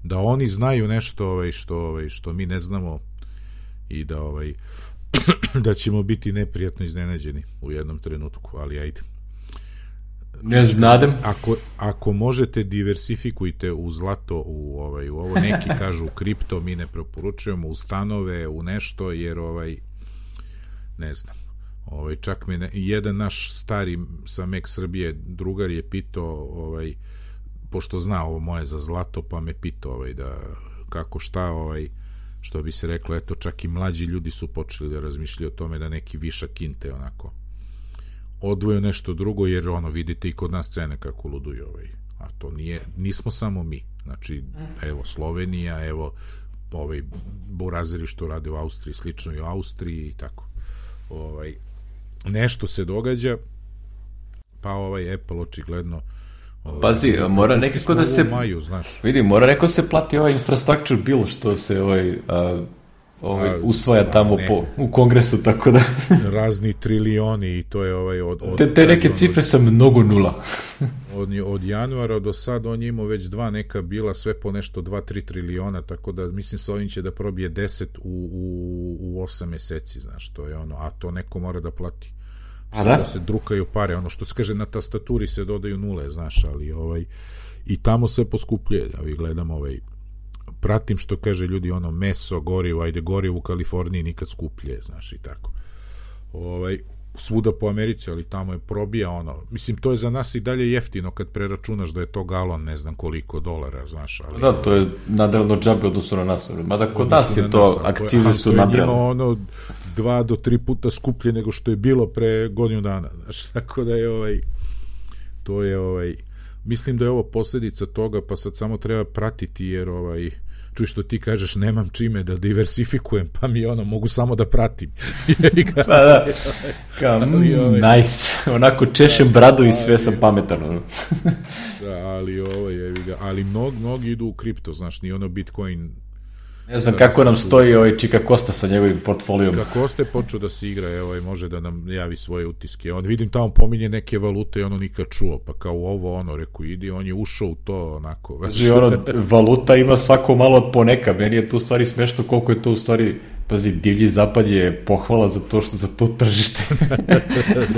da oni znaju nešto ovaj, što, ovaj, što mi ne znamo i da ovaj, da ćemo biti neprijatno iznenađeni u jednom trenutku, ali ajde. Ne znadem. Ako, ako možete, diversifikujte u zlato, u, ovaj, u ovo, neki kažu u kripto, mi ne preporučujemo, u stanove, u nešto, jer ovaj, ne znam. Ovaj, čak me ne, jedan naš stari sa Mac Srbije drugar je pitao, ovaj, pošto zna ovo moje za zlato, pa me pitao ovaj, da kako šta, ovaj, što bi se reklo, eto, čak i mlađi ljudi su počeli da razmišljaju o tome da neki višak kinte onako odvoju nešto drugo, jer ono, vidite i kod nas cene kako luduju, ovaj, a to nije, nismo samo mi, znači evo Slovenija, evo ovaj, burazeri što rade u Austriji, slično i u Austriji i tako, ovaj, nešto se događa, pa ovaj Apple očigledno ovaj, pazi, mora nekako da se maju, znaš. Vidi, mora neko se plati ovaj infrastructure bill što se ovaj, a, ovaj, usvaja tamo po, u kongresu, tako da... razni trilioni i to je ovaj... Od, od, te, te neke od, cifre sa mnogo nula. od, od januara do sad on je imao već dva neka bila, sve po nešto dva tri triliona, tako da mislim sa ovim će da probije deset u, u, u osam meseci, znaš, to je ono, a to neko mora da plati. A da? Da se drukaju pare, ono što se kaže na tastaturi se dodaju nule, znaš, ali ovaj, i tamo sve poskupljuje, ja vi gledam ovaj, pratim što kaže ljudi, ono, meso, gorivo, ajde, gorivo u Kaliforniji nikad skuplje, znaš, i tako. Ovaj, svuda po Americi, ali tamo je probija, ono, mislim, to je za nas i dalje jeftino kad preračunaš da je to galon, ne znam koliko dolara, znaš, ali... Da, to je nadrealno džabe odnosu na nas, mada kod nas je to, nas, akcize to je, su nadrealne. To je njima, ono, dva do tri puta skuplje nego što je bilo pre godinu dana, znaš, tako da je, ovaj, to je, ovaj, mislim da je ovo posljedica toga, pa sad samo treba pratiti, jer, ovaj, čuj što ti kažeš, nemam čime da diversifikujem, pa mi ono, mogu samo da pratim. Pa da, kao, mm, nice, onako češem bradu i sve sam pametan. Da, ali ovo je, ali mnogi, mnogi idu u kripto, znaš, ni ono Bitcoin. Ne znam kako nam stoji ovaj Čika Kosta sa njegovim portfolijom. Čika Kosta je počeo da se igra, evo, može da nam javi svoje utiske. On vidim tamo pominje neke valute i ono nikad čuo, pa kao ovo ono, reku, idi, on je ušao u to onako. Znači, ono, valuta ima svako malo poneka, meni je tu u stvari smešno koliko je to u stvari, pazi, divlji zapad je pohvala za to što za to tržište.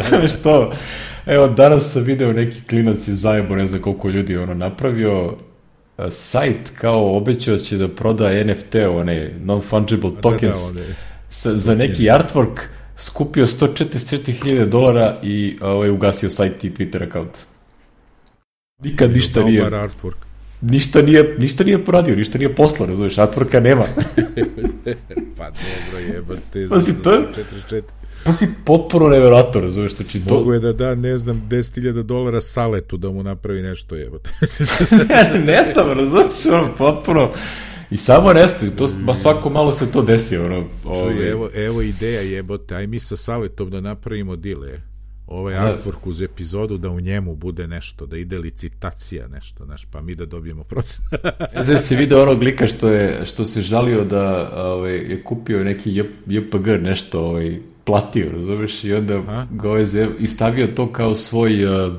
Sve što, evo, danas sam video neki klinac iz Zajebo, ne znam koliko ljudi ono napravio, sajt kao obećao će da proda N F T, one non-fungible tokens, da, da, sa, za neki artwork, skupio sto četrdeset četiri hiljade dolara i ovaj, ugasio sajt i Twitter account. Nikad ništa nije... Ništa nije, ništa nije poradio, ništa nije poslao, razumiješ, artworka nema. Pa dobro, jebate, pa si to... četrdeset četiri Pa si potpuno nevjerojatno, razumiješ, to či to... Mogu je da da, ne znam, deset hiljada dolara Saletu da mu napravi nešto, jebote. Nestav, razumiješ, ono, potpuno... I samo nestav, to, ba svako malo se to desi, ono... Ovaj... Čuj, evo, evo ideja, jebote, aj mi sa Saletom da napravimo dile, ovaj artwork uz epizodu, da u njemu bude nešto, da ide licitacija nešto, znaš, pa mi da dobijemo procent. Znači si video onog lika što, je, što se žalio da ovaj, je kupio neki J P G nešto, ovaj, platio, razumiješ, i onda Aha. ga ovaj zev, i stavio to kao svoj, uh,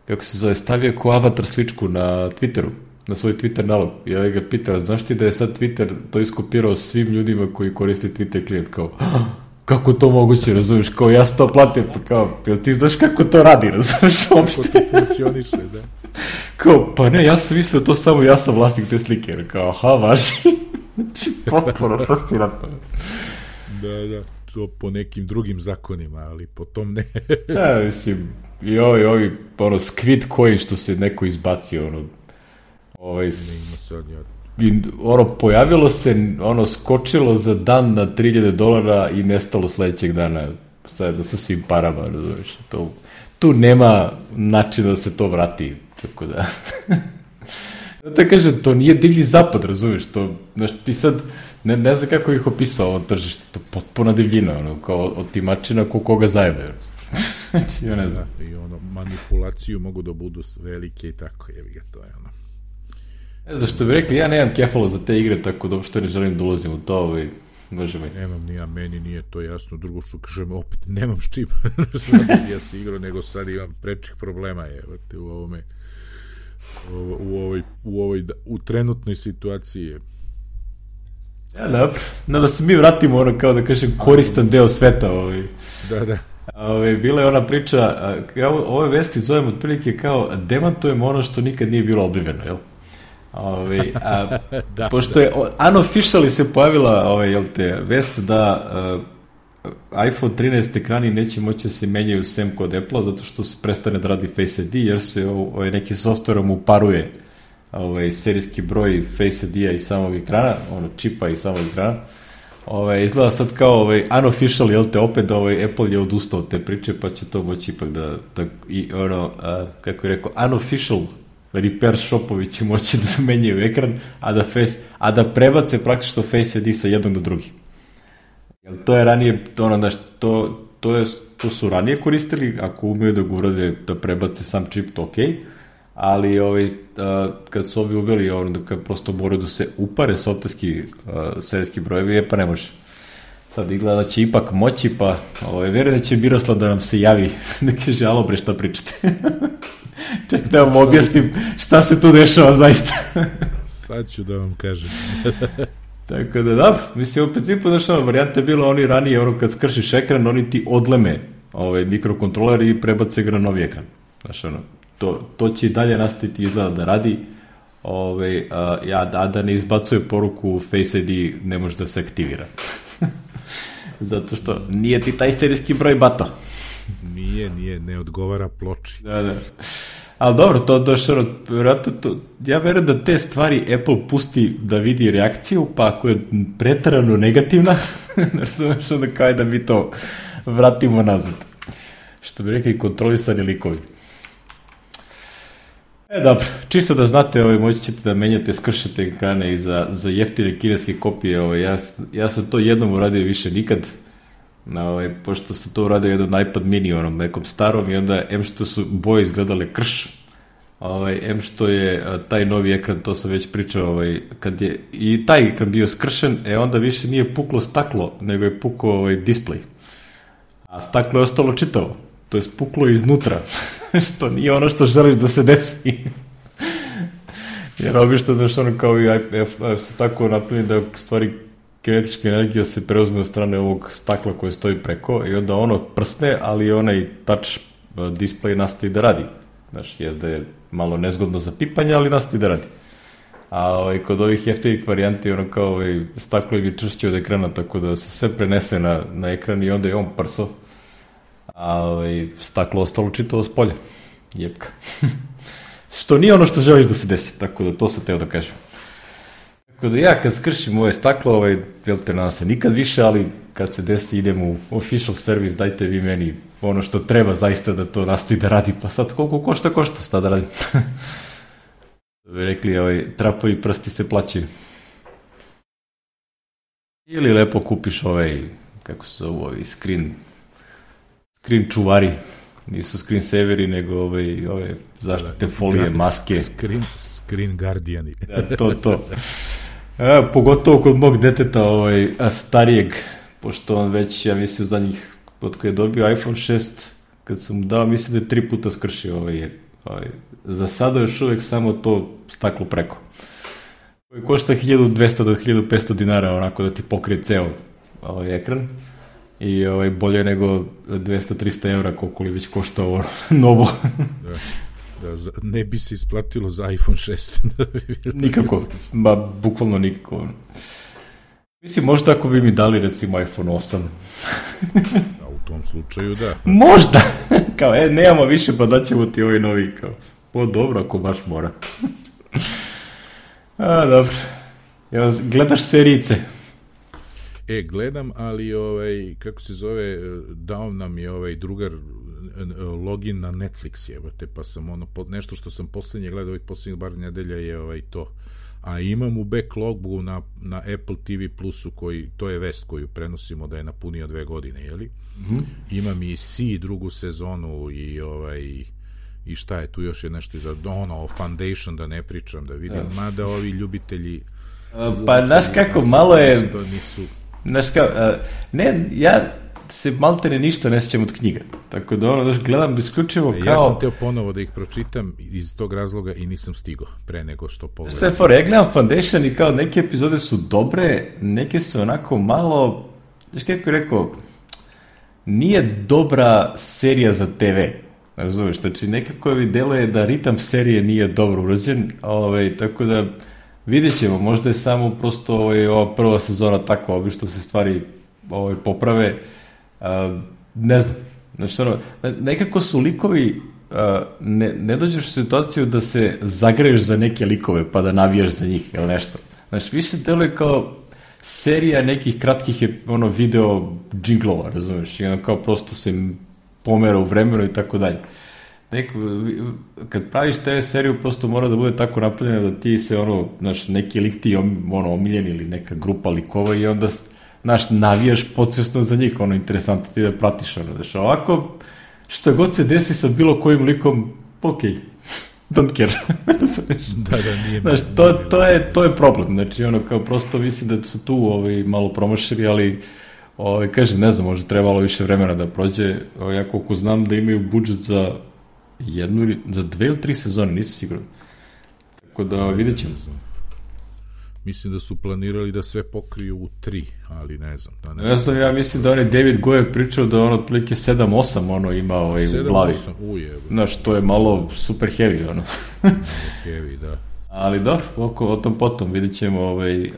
kako se zove, stavio kao avatar sličku na Twitteru, na svoj Twitter nalog. I ovaj ga pitao, znaš ti da je sad Twitter to iskopirao svim ljudima koji koriste Twitter klijent, kao, kako to moguće, razumiješ, kao ja sam to platio, pa kao, jel ti znaš kako to radi, razumiješ, uopšte? Kako to funkcioniše, da. Kao, pa ne, ja sam mislio to samo, ja sam vlasnik te slike, jer kao, aha, vaši, znači, potpuno fascinantno. Da, da, to po nekim drugim zakonima, ali po tom ne. Ja, mislim, i ovi, ovi, ono, Squid Coin što se neko izbacio, ono, ovaj, s... I, ono, pojavilo se, ono, skočilo za dan na tri hiljade dolara i nestalo sledećeg dana sad sa svim parama, razumiješ, to, tu nema načina da se to vrati, tako da da kažem, to nije divlji zapad, razumiješ, to, znaš, ti sad ne, ne znam kako ih opisao ovo tržište, to potpuna divljina, ono, kao otimačina ko koga zajebe, znači, ja ne znam. I ono, manipulaciju mogu da budu velike i tako, jebi ga, to je ono. Ne znam što bi rekli, ja nemam kefalo za te igre, tako da uopšte ne želim da ulazim u to, ovaj, može mi. Nemam ni ja, meni nije to jasno, drugo što kažem, opet nemam s čim, ja se igrao, nego sad imam prečih problema, evo te, u ovome, u, u ovoj, u ovoj, u trenutnoj situaciji. Ja, da, no, da se mi vratimo, ono, kao da kažem, koristan deo sveta, ovaj. Da, da. Ove, bila je ona priča, kao, ove vesti zovem otprilike kao demantujemo ono što nikad nije bilo obliveno, jel? Ove, a, da, pošto je unofficially se pojavila ove, jel te, vest da uh, iPhone trinaest ekrani neće moći da se menjaju sem kod Apple-a zato što se prestane da radi Face I D jer se ove, neki softverom uparuje ove, serijski broj Face I D-a i samog ekrana, ono čipa i samog ekrana. Ove, izgleda sad kao ove, unofficial, jel te, opet da ove, Apple je odustao od te priče pa će to moći ipak da, da i ono, a, kako je rekao, unofficial repair shopovi će moći da menjaju ekran, a da, face, a da prebace praktično Face I D sa jednog do drugi. Jel to je ranije, ono, znaš, to, to, je, to su ranije koristili, ako umeju da ga urade da prebace sam čip, to okej, ali ovaj, kad su ovi uveli ono, kad prosto moraju da se upare softverski serijski brojevi, je pa ne može. Sad izgleda da će ipak moći, pa ovaj, vjerujem da će Miroslav da nam se javi, da kaže, alo bre, šta pričate? Ček da vam objasnim šta se tu dešava zaista. Sad ću da vam kažem. Tako da, da, mislim, u principu, znaš, ono, varijanta je bila, oni ranije, ono, kad skršiš ekran, oni ti odleme ovaj, mikrokontroler i prebace ga na novi ekran. Znaš, ono, to, to će i dalje nastaviti izgleda da radi, ovaj, a, ja, da, da ne izbacuje poruku Face I D, ne može da se aktivira. Zato što nije ti taj serijski broj bato. Nije, nije, ne odgovara ploči. Da, da. Ali dobro, to došlo, vjerojatno to, ja verujem da te stvari Apple pusti da vidi reakciju, pa ako je pretarano negativna, razumeš onda kao da mi to vratimo nazad. Što bi rekli, kontrolisani likovi. E, dobro, čisto da znate, ovaj, moći ćete da menjate, skršete ekrane i za, za jeftine kineske kopije. Ovaj, ja, ja sam to jednom uradio, više nikad. Ovaj, pošto sam to uradio jednom na iPad mini, onom nekom starom, i onda em što su boje izgledale krš, ovaj, em što je a, taj novi ekran, to sam već pričao, ovaj, kad je i taj ekran bio skršen, e onda više nije puklo staklo, nego je pukao ovaj, display. A staklo je ostalo čitavo, to je puklo iznutra, što nije ono što želiš da se desi. Jer obično da što ono kao i iPad su tako napravljeni da stvari kinetička energija se preuzme od strane ovog stakla koje stoji preko i onda ono prsne, ali onaj touch display nastavi da radi. Znaš, jest da je malo nezgodno za pipanje, ali nastavi da radi. A ovaj, kod ovih jeftinih varijanti ono kao ovaj, staklo im je čvršće od ekrana, tako da se sve prenese na, na ekran i onda je on prso, a ovaj, staklo ostalo čitavo s polja. Jepka. Što nije ono što želiš da se desi, tako da to sam teo da kažem. Tako da ja kad skršim ove staklo, ovaj, jel te nadam se nikad više, ali kad se desi idem u official service, dajte vi meni ono što treba zaista da to nastavi da radi, pa sad koliko košta, košta, šta da radim. Da bi rekli, ovaj, trapovi prsti se plaćaju. Ili lepo kupiš ovaj, kako se zove, ovaj screen, screen čuvari, nisu screen saveri, nego ovaj, ove zaštite folije, maske. Screen, screen guardiani. Ja, to, to. E, pogotovo kod mog deteta ovaj, starijeg, pošto on već, ja mislim, u zadnjih, od koje je dobio iPhone šest, kad sam mu dao, mislim da je tri puta skršio ovaj, ovaj, za sada još uvek samo to staklo preko. Koji košta hiljadu dvesta do hiljadu petsto dinara, onako da ti pokrije ceo ovaj ekran. I ovaj, bolje nego dvesta do trista evra koliko li već košta ovo novo. Da, da, ne bi se isplatilo za iPhone šest. Nikako, ba, bukvalno nikako. Mislim, možda ako bi mi dali recimo iPhone osam. A u tom slučaju da. Možda! Kao, e, nemamo više, pa daćemo ti ovaj novi. Kao, o, dobro, ako baš mora. A, dobro. Jel, gledaš serijice? E, gledam, ali ovaj, kako se zove, dao nam je ovaj drugar login na Netflix, jebate, pa sam ono, nešto što sam poslednje gledao ovih poslednjih bar nedelja je ovaj to. A imam u backlogu na, na Apple T V Plusu, koji, to je vest koju prenosimo da je napunio dve godine, jeli? Mm-hmm. Imam i C drugu sezonu i ovaj i šta je tu još je nešto za ono, Foundation da ne pričam, da vidim, uh. mada ovi ljubitelji uh, pa znaš kako, malo je nisu... znaš kao, uh, ne, ja se maltene ništa ne sjećam od knjiga, tako da ono, gledam isključivo kao... Ja sam teo ponovo da ih pročitam iz tog razloga i nisam stigao pre nego što pogledam. Što je for, ja gledam Foundation i kao neke epizode su dobre, neke su onako malo, znaš kako je rekao, nije dobra serija za te ve, razumiješ, znači nekako mi deluje da ritam serije nije dobro urađen, ovaj, tako da vidjet ćemo, možda je samo prosto ovaj, ova prva sezona takva, obično se stvari ovaj, poprave. Uh, ne znam, znači ono, nekako su likovi, uh, ne, ne dođeš u situaciju da se zagreješ za neke likove pa da navijaš za njih ili nešto. Znači više deluje kao serija nekih kratkih ono, video džinglova, razumiješ, i ono kao prosto se pomera u vremenu i tako dalje. Neko, kad praviš te seriju prosto mora da bude tako napravljena da ti se ono, znaš, neki lik ti ono, omiljen ili neka grupa likova i onda znaš, navijaš podsvjesno za njih, ono, interesantno ti da pratiš, ono, znaš, ovako, što god se desi sa bilo kojim likom, okej, don't care. da, da, nije. Znaš, to, to, je, to je problem, znači, ono, kao prosto mislim da su tu ovaj, malo promašili, ali, ovaj, kažem, ne znam, možda trebalo više vremena da prođe, ovaj, ja koliko znam da imaju budžet za jednu ili, za dve ili tri sezone, nisam siguran. Tako da, vidjet ćemo. Mislim da su planirali da sve pokriju u tri, ali ne znam. Da ne ja, znam, ja mislim da on je David Goyer pričao da on otprilike sedam osam ono ima ovaj, u glavi. sedam osam, uje. Znaš, to je malo super heavy, ono. heavy, da. Ali dobro, oko, o tom potom vidjet ćemo. Ovaj, uh,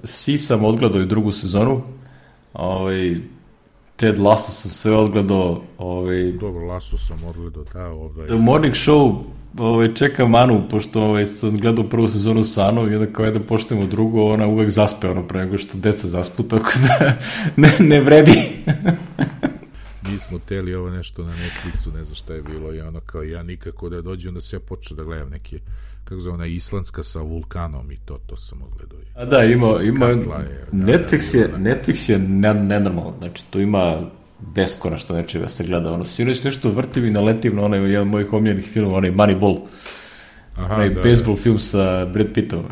Si sam odgledao i drugu sezonu. Ovaj, Ted Lasso sam sve odgledao. Ovaj, dobro, Lasso sam odgledao, da. Ovaj. The Morning Show ovaj, čekam Anu, pošto ovaj, sam gledao prvu sezonu sa Anom i onda kao jedan poštujemo drugu, ona uvek zaspe ono pre nego što deca zaspu, tako da ne, ne vredi. Mi smo teli ovo nešto na Netflixu, ne znam šta je bilo, i ono kao ja nikako da dođe, onda se ja počeo da gledam neke, kako zove, ona islandska sa vulkanom i to, to sam odgledao. A da, ima, ima je, Netflix, da, je, Netflix je nenormalno, znači tu ima beskonačno nečega se gleda, ono, sinoć nešto vrtim i naletim na onaj jedan mojih omiljenih filmova, onaj Moneyball, Aha, onaj da, baseball da. film sa Brad Pittom.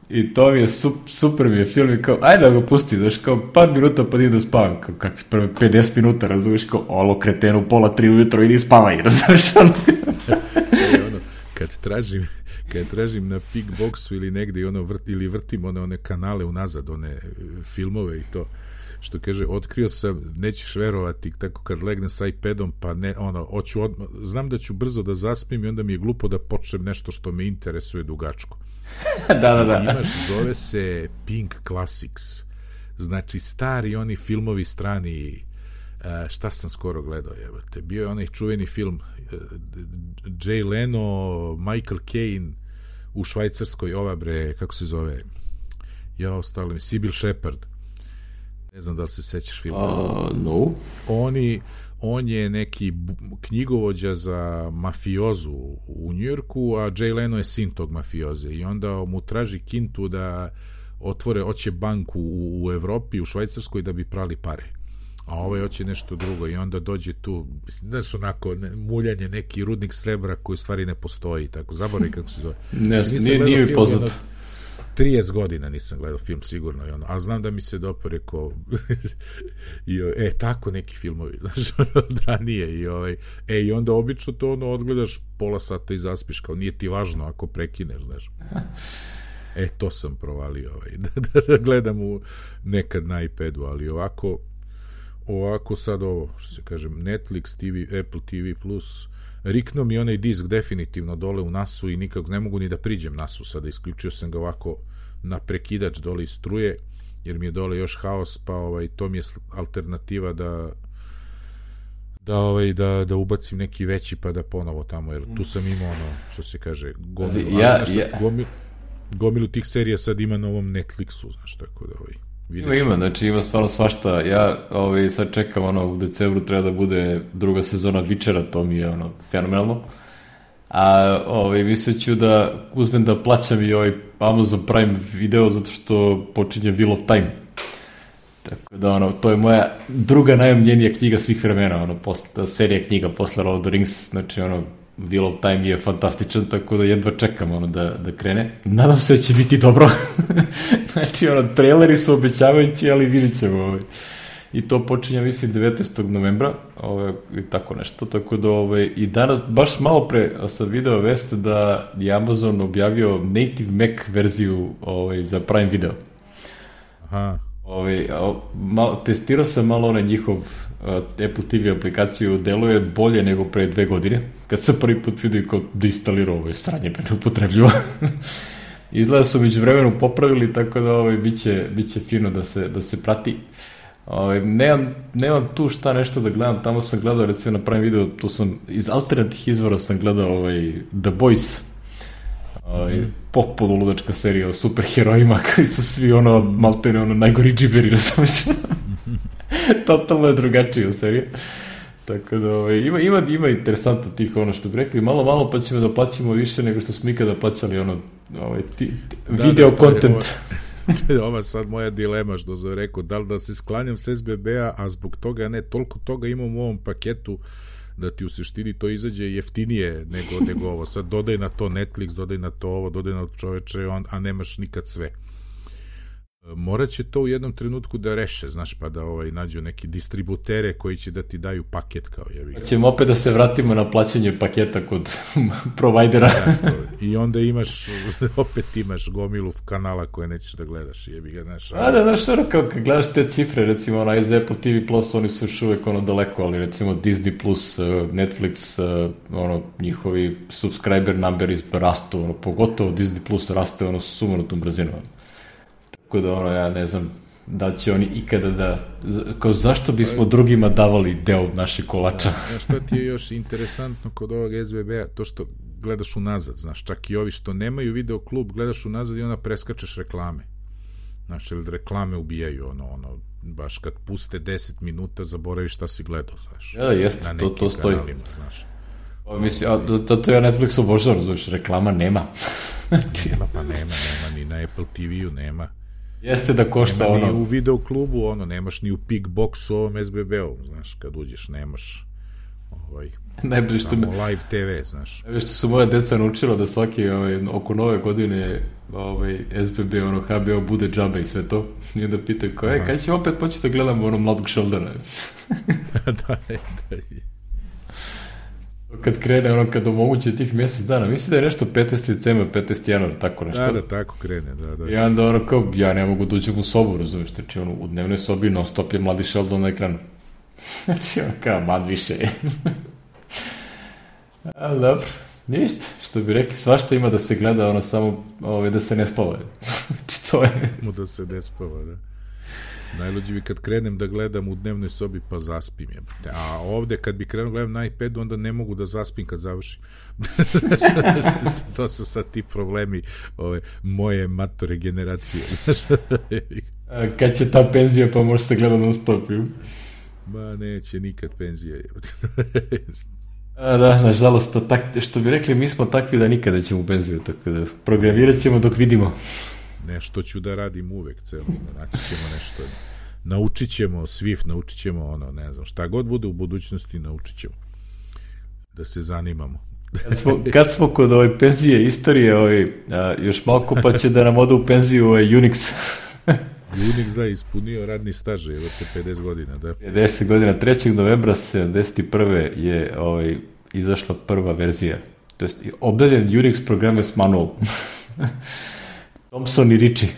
I to mi je super, super mi je film i kao, ajde da ga pusti, znaš, kao par minuta pa idem da spavam, kao kakvi prve pedeset minuta, razumiješ, kao, olo, kretenu, pola tri ujutro, idi spavaj, razumiješ, ono. ono, kad tražim, kad tražim na Pickboxu ili negde i ono vrt, ili vrtim one, one kanale unazad, one filmove i to, što kaže, otkrio sam, nećeš verovati, tako kad legnem sa iPadom, pa ne, ono, hoću odmah, znam da ću brzo da zaspim i onda mi je glupo da počnem nešto što me interesuje dugačko. da, da, da. Imaš, zove se Pink Classics, znači stari oni filmovi strani, šta sam skoro gledao, jebate, bio je onaj čuveni film Jay Leno, Michael Caine u Švajcarskoj, ova bre, kako se zove, ja ostalo mi, Sybil Shepherd, ne znam da li se sećaš filma. Uh, no. Oni, on je neki knjigovođa za mafiozu u Njujorku, a Jay Leno je sin tog mafioze i onda mu traži kintu da otvore, hoće banku u, u Evropi, u Švajcarskoj da bi prali pare. A ovaj hoće nešto drugo i onda dođe tu, znaš, onako, ne, muljanje, neki rudnik srebra koji u stvari ne postoji, tako, zaboravim kako se zove. Ne, nije, nije mi poznato. trideset godina nisam gledao film sigurno i ono, a znam da mi se dopo rekao i, e, tako neki filmovi, znaš, ono, od ranije i ovaj, e, i onda obično to ono, odgledaš pola sata i zaspiš, kao nije ti važno ako prekineš, znaš. E, to sam provalio, ovaj, da, da, da gledam u, nekad na iPadu, ali ovako, ovako sad ovo, što se kažem, Netflix, T V, Apple T V plus, rikno mi onaj disk definitivno dole u nasu i nikako ne mogu ni da priđem nasu sada, isključio sam ga ovako na prekidač dole iz struje, jer mi je dole još haos, pa ovaj, to mi je alternativa da da, ovaj, da, da ubacim neki veći pa da ponovo tamo, jer tu sam imao ono, što se kaže, gomilu, ja, nešto, ja. gomilu, gomilu tih serija sad ima na ovom Netflixu, znaš, tako da ovaj, Ima, ima, znači ima stvarno svašta. Ja ovaj, sad čekam, ono, u decembru treba da bude druga sezona Witchera, to mi je ono, fenomenalno. A ovaj, mislio ću da uzmem da plaćam i ovaj Amazon Prime video zato što počinje Wheel of Time. Tako da, ono, to je moja druga najomljenija knjiga svih vremena, ono, posle, serija knjiga posle Lord of the Rings, znači, ono, Wheel of Time je fantastičan, tako da jedva čekam ono da, da krene. Nadam se da će biti dobro. Znači, ono, traileri su obećavajući, ali vidit ćemo. Ovaj. I to počinje, mislim, devetnaestog novembra, ovaj, i tako nešto. Tako da, ovaj, i danas, baš malo pre sam video veste da je Amazon objavio native Mac verziju ovaj, za Prime Video. Aha. Ovaj, malo, testirao sam malo onaj njihov uh, Apple T V aplikaciju, deluje bolje nego pre dve godine, kad sam prvi put vidio kao da instalirao ovo je sranje pa neupotrebljivo. Izgleda su među vremenu popravili, tako da ovaj, biće, biće fino da se, da se prati. Ovaj, nemam, nemam tu šta nešto da gledam, tamo sam gledao recimo na Prime Video, tu sam iz alternativnih izvora sam gledao ovaj, The Boys, ovaj, mm. potpuno ludačka serija o superherojima koji su svi ono maltene ono najgori džiberi, razumiješ? Totalno je drugačija serija. Tako da ovaj, ima, ima, ima interesantno tih ono što bi rekli, malo malo pa ćemo da plaćamo više nego što smo ikada plaćali ono ovaj, ti, ti, da, video da, content. Ova, ova sad moja dilema što sam rekao, da li da se sklanjam s S B B-a, a zbog toga ne, toliko toga imam u ovom paketu da ti u suštini to izađe jeftinije nego, nego ovo. Sad dodaj na to Netflix, dodaj na to ovo, dodaj na to čoveče, a nemaš nikad sve. Morat će to u jednom trenutku da reše, znaš, pa da ovaj, nađu neki distributere koji će da ti daju paket kao jebi ga. Ćemo opet da se vratimo na plaćanje paketa kod provajdera. Da, i onda imaš, opet imaš gomilu kanala koje nećeš da gledaš, jebi ga, znaš. A da, znaš, ono, kao kad gledaš te cifre, recimo, ono, iz Apple T V Plus, oni su još uvek, ono, daleko, ali recimo Disney Plus, Netflix, ono, njihovi subscriber numberi rastu, ono, pogotovo Disney Plus raste, ono, sumanutom brzinom. Tako da, ono, ja ne znam da će oni ikada da, kao zašto bismo drugima davali deo naše kolača. Da, šta ti je još interesantno kod ovog S B B-a, to što gledaš unazad, znaš, čak i ovi što nemaju video klub, gledaš unazad i onda preskačeš reklame. Znaš, ili reklame ubijaju, ono, ono, baš kad puste deset minuta, zaboraviš šta si gledao, znaš. Ja, jeste, to, to stoji. Kanalima, znaš. O, mislim, a, to, to ja Netflix obožavam, znaš, reklama nema. Nema, pa nema, nema, ni na Apple T V-u nema. Jeste da košta nema ono... ni u video klubu, ono, nemaš ni u Pickboxu ovom S B B-u, znaš, kad uđeš, nemaš ovaj, najbolje što samo me... live te ve, znaš. Najbolje što su moja deca naučila da svaki, ovaj, oko nove godine ovaj, S B B, ono, H B O bude džabe i sve to. I onda pitaju, kao, e, kada ćemo opet početi da gledamo ono Mladog Sheldona? da, da. Kad krene, ono, kad omoguće tih mjesec dana, misli da je nešto petnaesti decembar, petnaesti januar, tako nešto. Da, da, tako krene, da, da. I onda ono, kao, ja ne mogu da uđem u sobu, razumiješ, znači, ono, u dnevnoj sobi non stop je Mladi Sheldon na ekranu. Znači, ono, kao, mad više je. Ali dobro, ništa, što bi rekli, svašta ima da se gleda, ono, samo, ovaj, da se ne spava. Znači, to je... da se ne spava, da. Najluđi bi kad krenem da gledam u dnevnoj sobi pa zaspim je. A ovde kad bi krenuo gledam na iPadu onda ne mogu da zaspim kad završim. To su sad ti problemi ove, moje matore generacije. A kad će ta penzija pa može se gledati non stop? Ma neće nikad penzija. A da, nažalost, to tak, što bi rekli, mi smo takvi da nikada ćemo u penziju, tako da programirat ćemo dok vidimo. Nešto ću da radim uvek, celo, naći ćemo nešto, naučit ćemo Swift, naučit ćemo ono, ne znam, šta god bude u budućnosti, naučit ćemo da se zanimamo. Kad smo, kad smo kod ove penzije istorije, ovaj, a, još malo pa će da nam ode u penziju ovaj Unix. Unix, da, ispunio radni staž, evo te pedeset godina, da. pedeset godina, trećeg novembra sedamdeset prve je ovaj, izašla prva verzija, to jest objavljen Unix Programmers Manual. Thompson i Ritchie.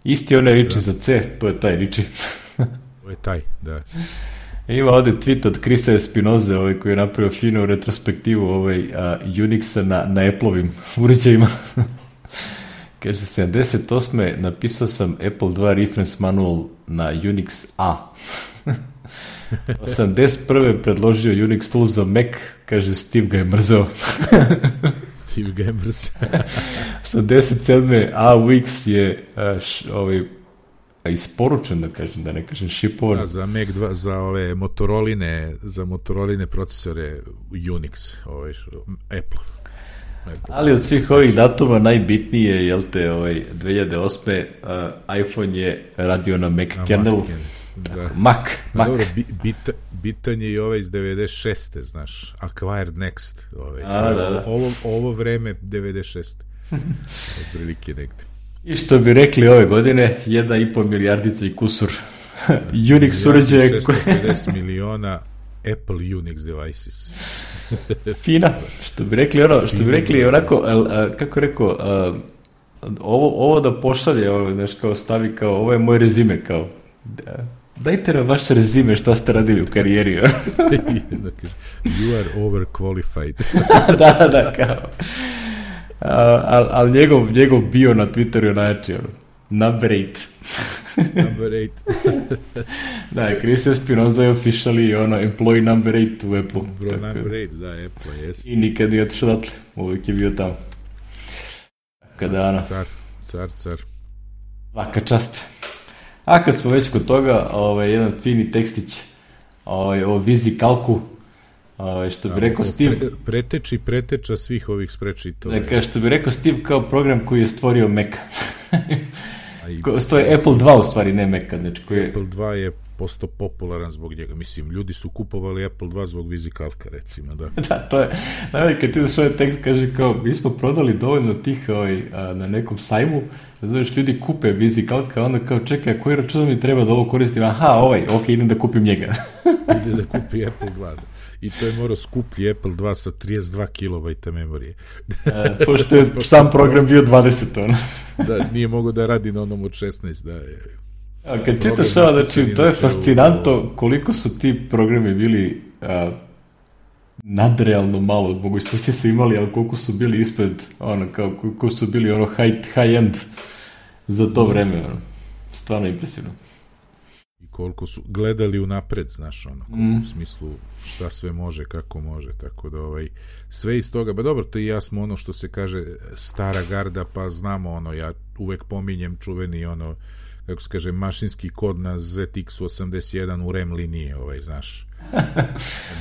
Isti onaj Ritchie za C, to je taj Ritchie. To je taj, da. Ima ovde tweet od Krisa Espinoze, ovaj, koji je napravio finu retrospektivu ovaj, a, Unixa na, na Apple-ovim uređajima. Kaže, sedamdeset osme napisao sam Apple dva reference manual na Unix A. osamdeset prve predložio Unix tool za Mac, kaže, Steve ga je mrzeo. Steve ga je mrzeo. osamdeset sedme A U X je a, š, ovaj, isporučen, da kažem, da ne kažem šipovan. Da, za Mac dva, za ove Motoroline, za Motoroline procesore Unix, ovaj, Apple. Ali od svih ovih datuma najbitniji je, jel te, ovaj, dve hiljade osme uh, iPhone je radio na Mac na kernelu. Da. Mac, Mac. Dobro, bit, bitan je i ovaj iz devedeset šeste, znaš, Acquired Next. Ovaj. A, da, da. Ovo, ovo vreme devedeset šeste. Od prilike negde. I što bi rekli ove godine, jedna i pol milijardica i kusur Unix uređaje. šesto pedeset miliona Apple Unix devices. Fina, što bi rekli ono, što bi rekli onako, a, a, kako rekao, a, ovo, ovo da pošalje, ovo, znaš, kao stavi kao, ovo je moj rezime, kao, da, dajte nam vaše rezime šta ste radili u karijeri. Da kaže, you are overqualified. da, da, kao. Ali al njegov, njegov bio na Twitteru je najjači, ono, number eight. Number eight. Da, Chris Espinoza je officially ono, employee number eight u Apple. Bro, tako, number eight, da, Apple, jes. I nikad nije otišao datle, uvijek je bio tamo. Kada, ono... Car, car, car. Svaka čast. A kad smo već kod toga, ovaj, jedan fini tekstić ovaj, o Vizi Kalku, ovaj, što bi rekao Steve... Pre, preteči preteča svih ovih sprečitova. Dakle, što bi rekao Steve kao program koji je stvorio Mac. To je Apple dva u stvari, ne Mac. Znači, koji je... Apple dva je postao popularan zbog njega. Mislim, ljudi su kupovali Apple dva zbog vizikalka, recimo, da. Da, to je, najbolje kad čitaš ovaj tekst, kaže kao, mi smo prodali dovoljno tih ovaj, a, na nekom sajmu, da znaš, ljudi kupe vizikalka, onda kao, čekaj, koji račun mi treba da ovo koristim? Aha, ovaj, ok, idem da kupim njega. Ide da kupi Apple dva, da. I to je morao skuplji Apple dva sa trideset dva kilobajta memorije. A, pošto je sam program bio dvadeset, ono. Da, nije mogao da radi na onom od šesnaest, da je. A kad čitaš ovo, znači, to je fascinantno koliko su ti programi bili a, nadrealno malo, mogućnosti su imali, ali koliko su bili ispred, ono, kao, koliko su bili ono high, high end za to vreme, ono. Stvarno impresivno. I koliko su gledali unapred, znaš, ono, mm. u smislu šta sve može, kako može, tako da ovaj, sve iz toga, ba dobro, to i ja smo ono što se kaže stara garda, pa znamo ono, ja uvek pominjem čuveni ono, kako se kaže, mašinski kod na Z X osamdeset jedan u RAM linije, ovaj, znaš,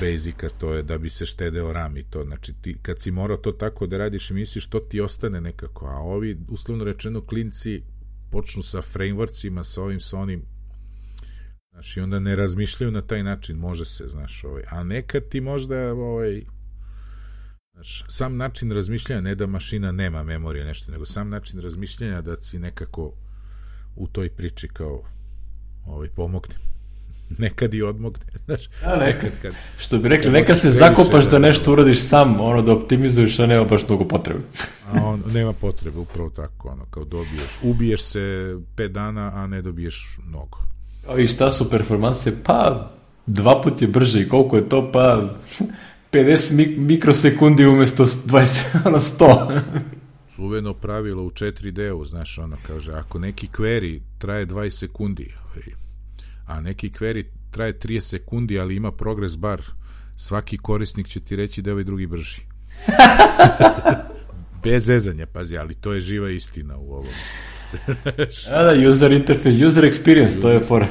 Basica, to je da bi se štedeo RAM i to, znači ti kad si morao to tako da radiš i misliš, to ti ostane nekako, a ovi, uslovno rečeno, klinci počnu sa frameworksima, sa ovim, sa onim, znaš, i onda ne razmišljaju na taj način, može se, znaš, ovaj, a nekad ti možda, ovaj, znaš, sam način razmišljanja, ne da mašina nema memorije, nešto, nego sam način razmišljanja da si nekako u toj priči kao ovaj, pomogne. Nekad i odmogne, znaš. A nekad, kad, što bi rekli, nekad se zakopaš da nešto uradiš sam, ono, da optimizuješ, a nema baš mnogo potrebe. A on, nema potrebe, upravo tako, ono, kao dobiješ, ubiješ se pet dana, a ne dobiješ mnogo. I šta su performanse? Pa, dva put je brže i koliko je to? Pa, pedeset mik- mikrosekundi umjesto dvadeset, ono, sto. Čuveno pravilo u četiri D-u, znaš, ono, kaže, ako neki query traje dvadeset sekundi, a neki query traje trideset sekundi, ali ima progress bar, svaki korisnik će ti reći da je ovaj drugi brži. Bez zezanja, pazi, ali to je živa istina u ovom. A da, user interface, user experience, user. To je fora.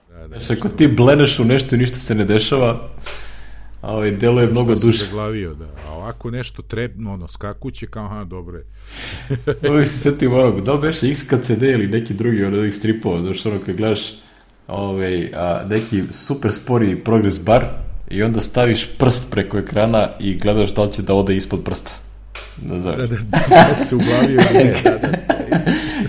Da, da, znaš, ako ti bleneš u nešto i ništa se ne dešava, a ovaj delo je mnogo duše. Zaglavio, da. A ovako nešto treba, ono, skakuće kao, aha, dobro je. Uvijek se setim onog, da li beše X K C D ili neki drugi od ovih stripova, znaš, ono, kad gledaš ovaj, a, neki super spori progress bar i onda staviš prst preko ekrana i gledaš da li će da ode ispod prsta. Da, da, da, da se uglavio ne, da, da, da.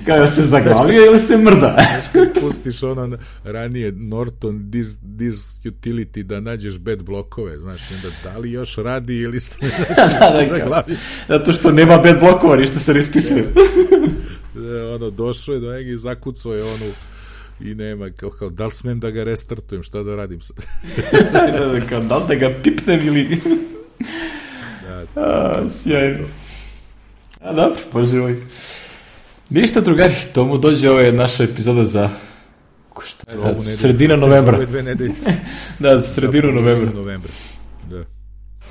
Kada se zaglavio ili se mrda. Znaš, kad pustiš ono ranije Norton dis, dis utility da nađeš bad blokove, znaš, onda da li još radi ili ste, znaš, da, da, se zaglavio. Zato što nema bad blokova, ništa se ne ispisuje. Da, ono, došao je do njega i zakucao je onu i nema, kao, kao, da li smem da ga restartujem, šta da radim sad? da, da, kao, da li da ga pipnem ili... A, sjajno. A dobro, bože moj. Ništa drugari, tomu dođe ova naša epizoda za šta, da, sredina novembra. Ove dve nedelje. Da, za sredinu novembra. novembra. Da.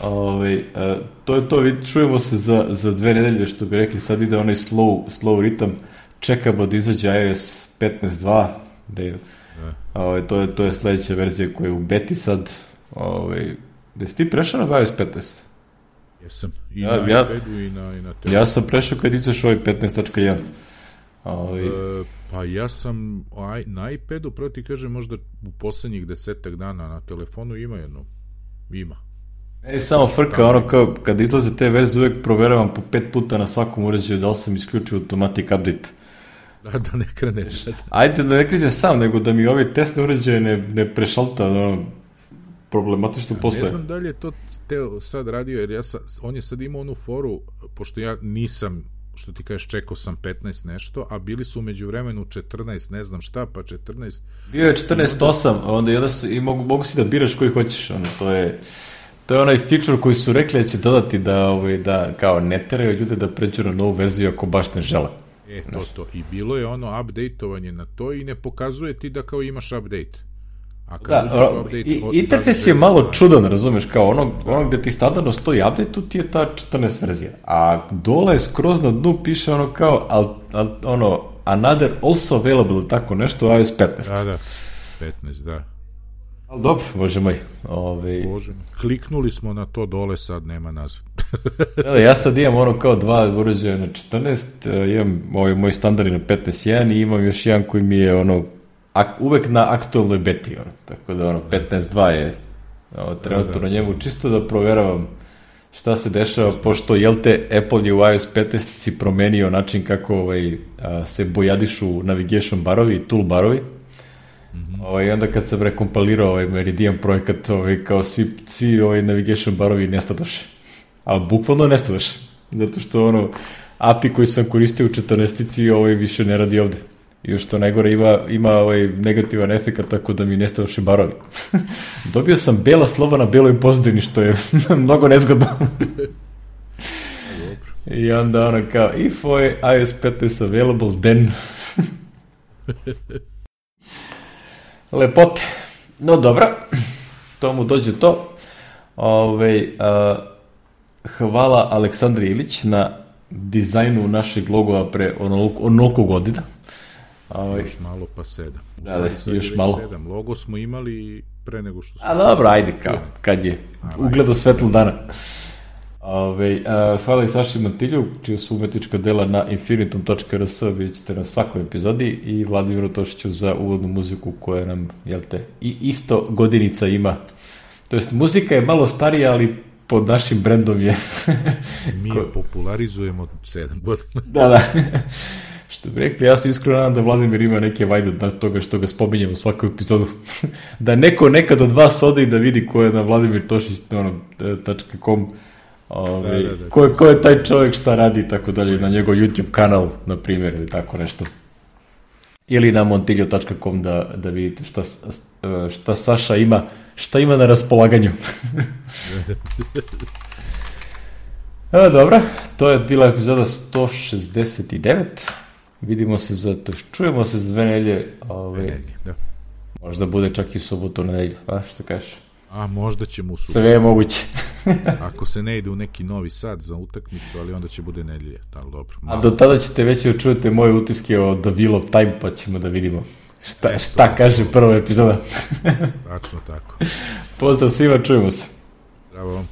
Ove, a, to je to, čujemo se za, za dve nedelje, što bi rekli, sad ide onaj slow, slow ritam, čekamo da izađe iOS petnaest dva, da je, da. Ove, to, je, to je sledeća verzija koja je u beti sad. Ove, da si ti prešao na iOS petnaest? Jesam, i ja, na ja, iPadu i na, i na telefonu. Ja sam prešao kad izaš ovaj petnaest tačka jedan. Ovaj... E, pa ja sam aj, na iPadu, prvo ti kažem, možda u poslednjih desetak dana, na telefonu ima jedno. Ima. E, samo frka, ono kao, kad izlaze te verzije, uvek proveravam po pet puta na svakom uređaju da li sam isključio automatic update. Da, da ne kreneš. Ajde, da ne kreneš sam, nego da mi ove testne uređaje ne, ne prešalta, ono, problematično ja, posle. Ne znam da li je to Teo sad radio, jer ja sa, on je sad imao onu foru, pošto ja nisam, što ti kažeš, čekao sam petnaest nešto, a bili su umeđu vremenu četrnaest, ne znam šta, pa četrnaest. Bio je četrnaest osam, onda, onda jedan i mogu, mogu si da biraš koji hoćeš, ono, to je, to je onaj feature koji su rekli da će dodati da, ovaj, da kao ne teraju ljude da pređu na novu verziju ako baš ne žele. E, to, to. I bilo je ono update-ovanje na to i ne pokazuje ti da kao imaš update. A kad da, update, i, interfejs je malo stvari. Čudan, razumeš, kao ono, da. Ono gde ti standardno stoji update, tu ti je ta četrnaest verzija. A dole skroz na dnu piše ono kao, al, al, ono, another also available, tako nešto, iOS petnaest. Da, da, petnaest, da. Ali dobro, bože moj. Ove... Bože, kliknuli smo na to dole, sad nema nazad. da, ja sad imam ono kao dva uređaja na četrnaest, imam ovaj moj standardni na petnaest jedan i imam još jedan koji mi je ono ak, uvek na aktualnoj beti, ono, tako da ono, petnaest dva je ono, trenutno da, da, na njemu, čisto da proveravam šta se dešava, pošto, jel te, Apple je u iOS petnaest promenio način kako ovaj, a, se bojadišu navigation barovi i tool barovi. Mm-hmm. Ovaj, onda kad sam rekompilirao ovaj Meridian projekat, ovaj, kao svi, svi ovaj navigation barovi nestadoše. Ali bukvalno nestadoše. Zato što ono, A P I koji sam koristio u četrnaestici ovaj više ne radi ovde. I još to najgore ima, ima ovaj negativan efekt, tako da mi nestadoše barovi. Dobio sam bela slova na beloj pozadini, što je mnogo nezgodno. I onda ono kao, if iOS petnaest available, then... Lepote. No dobro, to mu dođe to. Ove, a, hvala Aleksandri Ilić na dizajnu našeg logova pre onoliko, onoliko godina. Ove, još malo pa sedam. Da, da, još malo. Sedam. Logo smo imali pre nego što smo... A dobro, ajde kao, kad je ugledao svetlo dana. Ove, a, hvala i Saši Mantilju, čija su umetnička dela na infinitum tačka r s, vidjet ćete na svakoj epizodi, i Vladimiru Tošiću za uvodnu muziku koja nam, jel te, i isto godinica ima. To jest, muzika je malo starija, ali pod našim brendom je... Mi je popularizujemo sedam godina. Da, da. Što bi rekli, ja se iskreno nadam da Vladimir ima neke vajde od toga što ga spominjem u svaku epizodu. Da neko nekad od vas ode i da vidi ko je na Vladimir Tošić tačka com. Ove, da, da, da, ko, ko je taj čovjek, šta radi i tako dalje, na njegov YouTube kanal, na primjer, ili tako nešto. Ili na montiljo tačka com da, da vidite šta, šta Saša ima, šta ima na raspolaganju. E, dobro, to je bila epizoda sto šezdeset devet. Vidimo se za to, čujemo se za dve nedelje. Ove, da. Možda bude čak i u subotu na nedelju, a što kažeš? A možda ćemo u subotu. Sve je moguće. Ako se ne ide u neki Novi Sad za utakmicu, ali onda će bude nedelje. Da, dobro. Malo. A do tada ćete već čujete moje utiske o The Wheel of Time, pa ćemo da vidimo šta, šta kaže prva epizoda. Tačno tako. Pozdrav svima, čujemo se. Bravo.